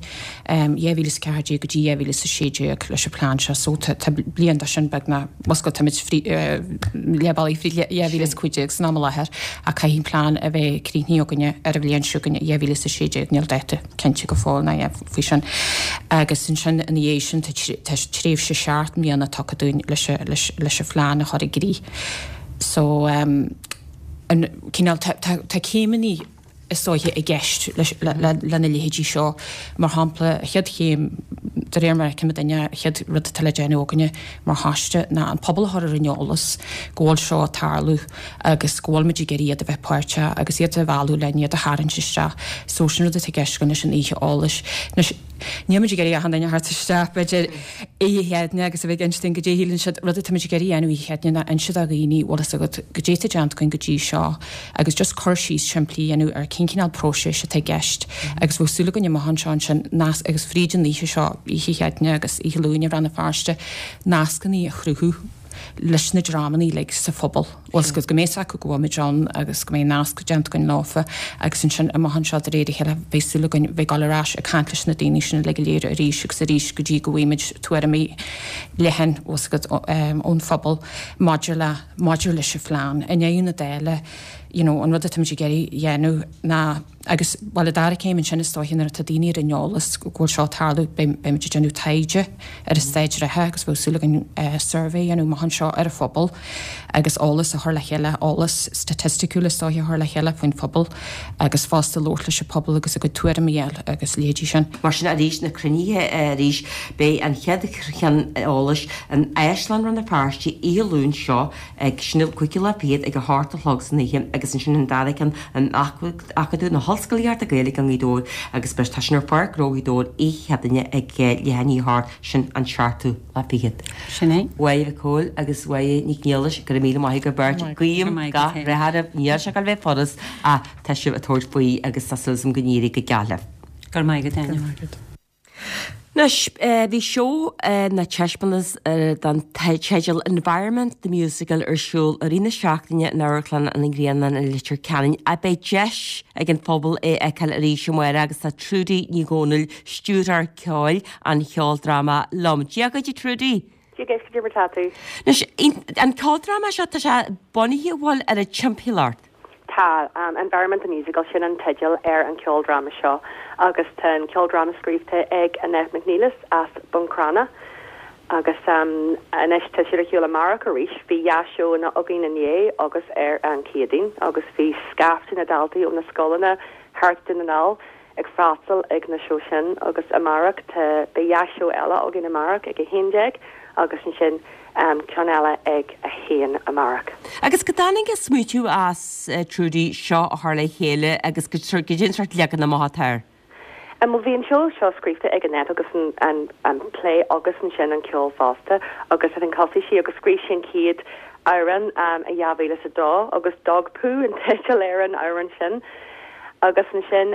2014 go dtí 2016 leis an plean seo. So tá bliain de sin beagnach, bhuel táimid leath bealaigh fríd 2015 san am i láthair ach caithfidh an plean a bheith críochnaithe againne ar an bhliain seo chugainn, 2016, níl dáta cinnte go fóill ná faoi sin. Agus ansin ina dhiaidh sin tá tréimhse seacht mbliana tugtha dúinn leis an phlean a chur i gcrích. So. an cineál, tá céimeanna is dóiche i gceist lena leithéidí seo. Mar shampla, an chéad chéim, de réir mar a fheicimid inniu, an chéad rud atá le déanamh againne mar choiste ná an pobal a chur ar an eolas go bhfuil seo ag tarlú agus go bhfuil muid ag iarraidh iad a bheith páirteach agus iad a mhealladh linn, iad a tharraingt isteach. So sin rud atá i gceist againn leis an oíche eolais. Anois, Níl muid ag iarraidh achan duine a thabhairt isteach, b'fhéidir, oíche Chéadaoine agus a bheith ag inse dúinn goidé a shíleann siad. Rud atá muid ag iarraidh a dhéanamh oíche Chéadaoine ná inse do dhaoine, bhfuil fhios agat, goidé atá déanta againn go dtí seo agus just cur síos simplí a dhéanamh ar cén cineál próiseas atá i gceist agus bheadh súil againn amach anseo ansin nasc agus fríd an oíche seo, oíche Chéadaoine agus oíche Luain i Rann na Feirste, nascanna a chruthú leis na dreamanna uilig sa phobal. Bhfuil fhios agat, go mbeidh fhios acu go bhfuil muid ann agus go mbeidh nasc déanta againn leofa agus ansin amach anseo de réir a chéile beidh súil againn bheith ag dul ar ais ag caint leis na daoine sin uilig go léir arís agus arís go dtí go bhfaighimid tuairimí leathan, bhfuil fhios agat, ón phobal maidir le, maidir leis an phlean. I ndeireadh na dála, you know, an rud atáimid ag iarraidh a dhéanamh ná, Agus, bhuel, an dara céim ansin is dóiche nuair atá daoine ar an eolas go bhfuil seo ag tarlú, beimid ag déanamh taighde ar an staid reatha agus bheadh súil againn suirbhé a dhéanamh amach anseo ar an phobal agus eolas a chur le chéile, eolas staitisticiúil is dóiche a chur le chéile faoin phobal agus fosta labhairt leis an phobal agus a gcuid tuairimí a fháil agus leithéidí sin. Mar sin arís, na cruinnithe arís, beidh an chéad cheann eolais in Áislann Rann na Feirste oíche Luain seo ag sin an cúigiú lá fichead ag a hocht a chlog san oíche agus ansin an dara ceann in Acadamh na hOllscolaíochta Gaeilge i nGaoth Dobhair agus beidh tá sin ar Pháirc Ghnó Ghaoth Dobhair oíche Chéadaoine ag leath i ndiaidh a hocht, sin an seachtú lá fichead. Sin é. Mháire Mhic Cóil agus Mháire Nic Niallais, go raibh míle maith agaibh beirt. Guím gach rath oraibh, níl sé ag dul a bheith furast ach tá sibh ag tabhairt faoi agus tá súil agam go n-éireoidh go geal libh. Go raibh maith agat, Áine. Go raibh maith agat. Anois, bhí seó nó taispeántas den teideal Environment, The Musical ar siúl i rith na seachtaine in Amharclann an Ghrianáin i Leitir Ceanainn ach beidh deis ag an phobal é a fheiceáil arís amárach agus tá Trudy Ní Dhomhnaill, stiúrthóir ceoil an cheoldráma liom. Dia dhuit a Trudy! Dia dhuit, cad é mar tá tú? Anois, an ceoldráma seo, tá sé bunaithe, an bhfuil, ar an timpeallacht. Tá. Environment the Musical, sin an teideal ar an cheoldráma seo agus tá an ceoldráma scríobhta ag Annette McNelis as Bun Cranncha agus anois tá siad ar shiúl amárach arís. Bhí dhá seóanna againn inné agus ar an Chéadaoin agus bhí scaifte na daltaí ó na scoileanna thart Dún na nGall ag freastal ag na seó sin agus amárach tá, beidh dhá seó eile againn amárach ag 11 agus ansin ceann eile ag 1 amárach. Agus cá dtáinig an smaoitiú as, Trudy, seo a chur le chéile agus goidé an sórt leagan amach atá air? Bhuel bhí an seó seo scríofa ag Annette agus an an plé agus ansin an ceol fosta agus I think thosaigh sí agus scríobh sí an chéad amhrán i 2002 agus Dog Poo an teideal ar an amhrán sin. Agus ansin,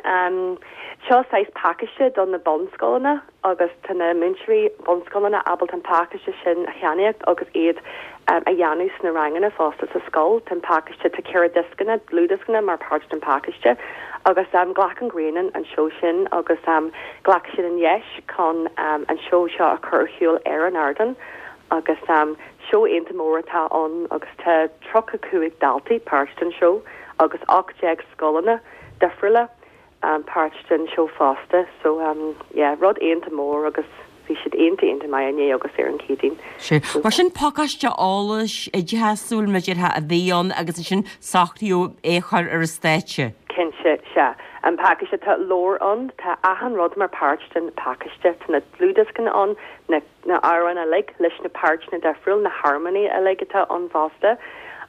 seo saghas pacáiste do na bunscoileanna agus tá na múinteoirí bunscoileanna ábalta an pacáiste sin a cheannaíocht agus iad a dhéanamh sna ranganna fosta sa scoil. Tá an pacáiste, tá ceithre dioscanna, dlúthdhioscanna mar páirt den pacáiste agus ghlac an Grianán an seó sin agus ghlac siad an dheis chun an seó seo a chur ar shiúl ar an ardán agus seó iontach mór atá ann agus tá 35 daltaí páirt den seó. agus 18 scoileanna difriúla páirt den seó fosta so yeah rud iontach mór agus bhí siad iontach iontach maith inné agus ar an Chéadaoin. Sea. Mar sin pacáiste eolais oideachasúil mar a déarfá a bhí ann agus ansin socraíodh é a chur ar an stáitse. Cinnte, sea. An pacáiste, tá leabhar ann, tá achan rud mar páirt den pacáiste, tá na dlúthdhioscanna ann, na na amhráin uilig leis na páirteanna difriúil, na harmóiní uilig atá ann fosta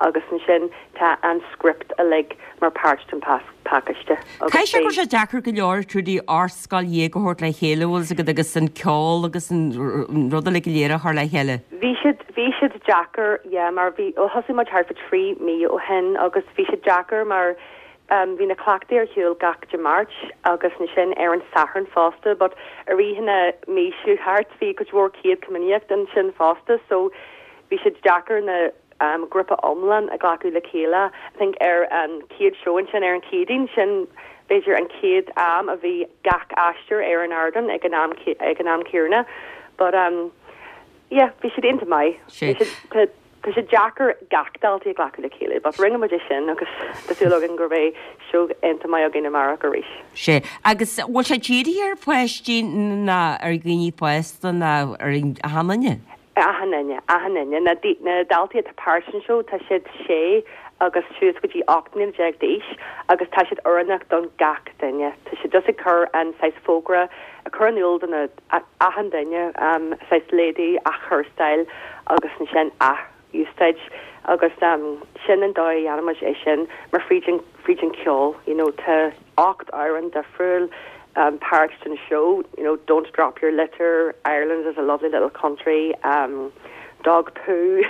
agus ansin tá an script uilig mar páirt den pacáiste agus Caithfidh sé go raibh sé deacair go leor Trudy 18 scoil a thabhairt le chéile bhfuil fhios agat agus an ceol agus an rud uilig go léir a chur le chéile. Bhí siad, bhí siad deacair, yeah, mar bhí, bhuel thosaigh muid thart fá thrí mí ó shin agus bhí siad deacair mar Bhí na cleachtaí ar shiúl gach Dé Máirt agus ansin ar an Satharn fosta but i rith na mí seo thart bhí cuid mhór céad comaoineach ansin fosta so bhí sé deacair na grúpa iomlán a ghlacadh le chéile. I think ar an chéad seó ansin ar an Chéadaoin sin b'fhéidir an chéad am a bhí gach aisteoir ar an ardán ag an am ag an am céanna but um yeah bhí siad iontach maith. Bhí siad Tá sé deacair gach daltaí a ghlacadh le chéile, but rinne muid é sin agus tá súil againn go mbeidh seó iontach maith againn amárach arís. Sea. Agus bhfuil sé dírithe ar pháistí nó ar dhaoine fásta nó ar achan duine? Achan duine, achan duine. Na na daltaí atá páirt san seó, tá siad sé agus suas go dtí 18 mbliana d'aois agus tá siad oiriúnach don gach duine. Tá siad just ag cur an saghas fógra, ag cur in iúl do na achan duine, saghas léadaí athchúrsáil agus ansin ath-úsáid agus sin an dóigh a dhéanaimid é sin mar fríd an, fríd an ceol, you know, tá 8 amhrán difriúil páirt den seó, you know, Don't Drop Your Litter, Ireland is a Lovely Little Country, Dog Poo,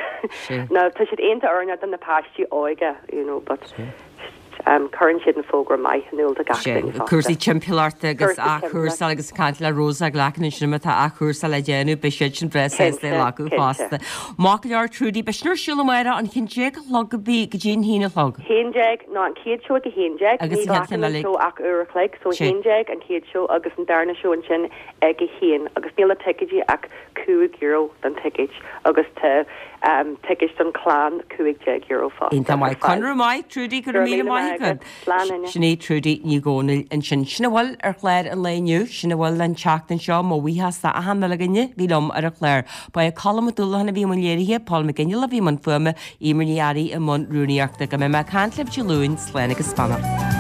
now tá siad iontach oiriúnach do na páistí óige, you know, but. Cuireann siad an fógra maith in iúl do gach duine fosta. Cúrsaí timpeallachta agus athchúrsáil agus caint le Rosa Glackin ansin má tá athchúrsáil le déanamh beidh siad sin breá sásta é a ghlacadh fosta. Maith go leor Trudy, beidh sin ar siúl amárach an haon déag a chlog go dtí go dtí an haon a chlog. Haon déag, nó an chéad seó ag a haon déag, ní ghlacann an seó ach uair a chloig, so haon déag an chéad seó agus an darna seó ansin ag a haon agus níl na ticéidí ach €5 don ticéid agus tá ticéid don chlann €15 fosta Iontach maith. Conradh maith, Trudy, go raibh míle maith agat. Slán, Áine. Sin í Trudy Ní Dhomhnaill ansin. Sin a bhfuil ar chlár an lae inniu, sin a bhfuil an tseachtain seo, mo bhuíochas d'achan uile dhuine a bhí liom ar an chlár. Ba é Colm Ó Dúlacháin a bhí i mbun léirithe, Paul McGinley a bhí i mbun fuaime, Eimear Ní Fhearraigh i mbun rúnaíochta. Go mbeidh mé ag caint libh Dé Luain, slán agus beannacht.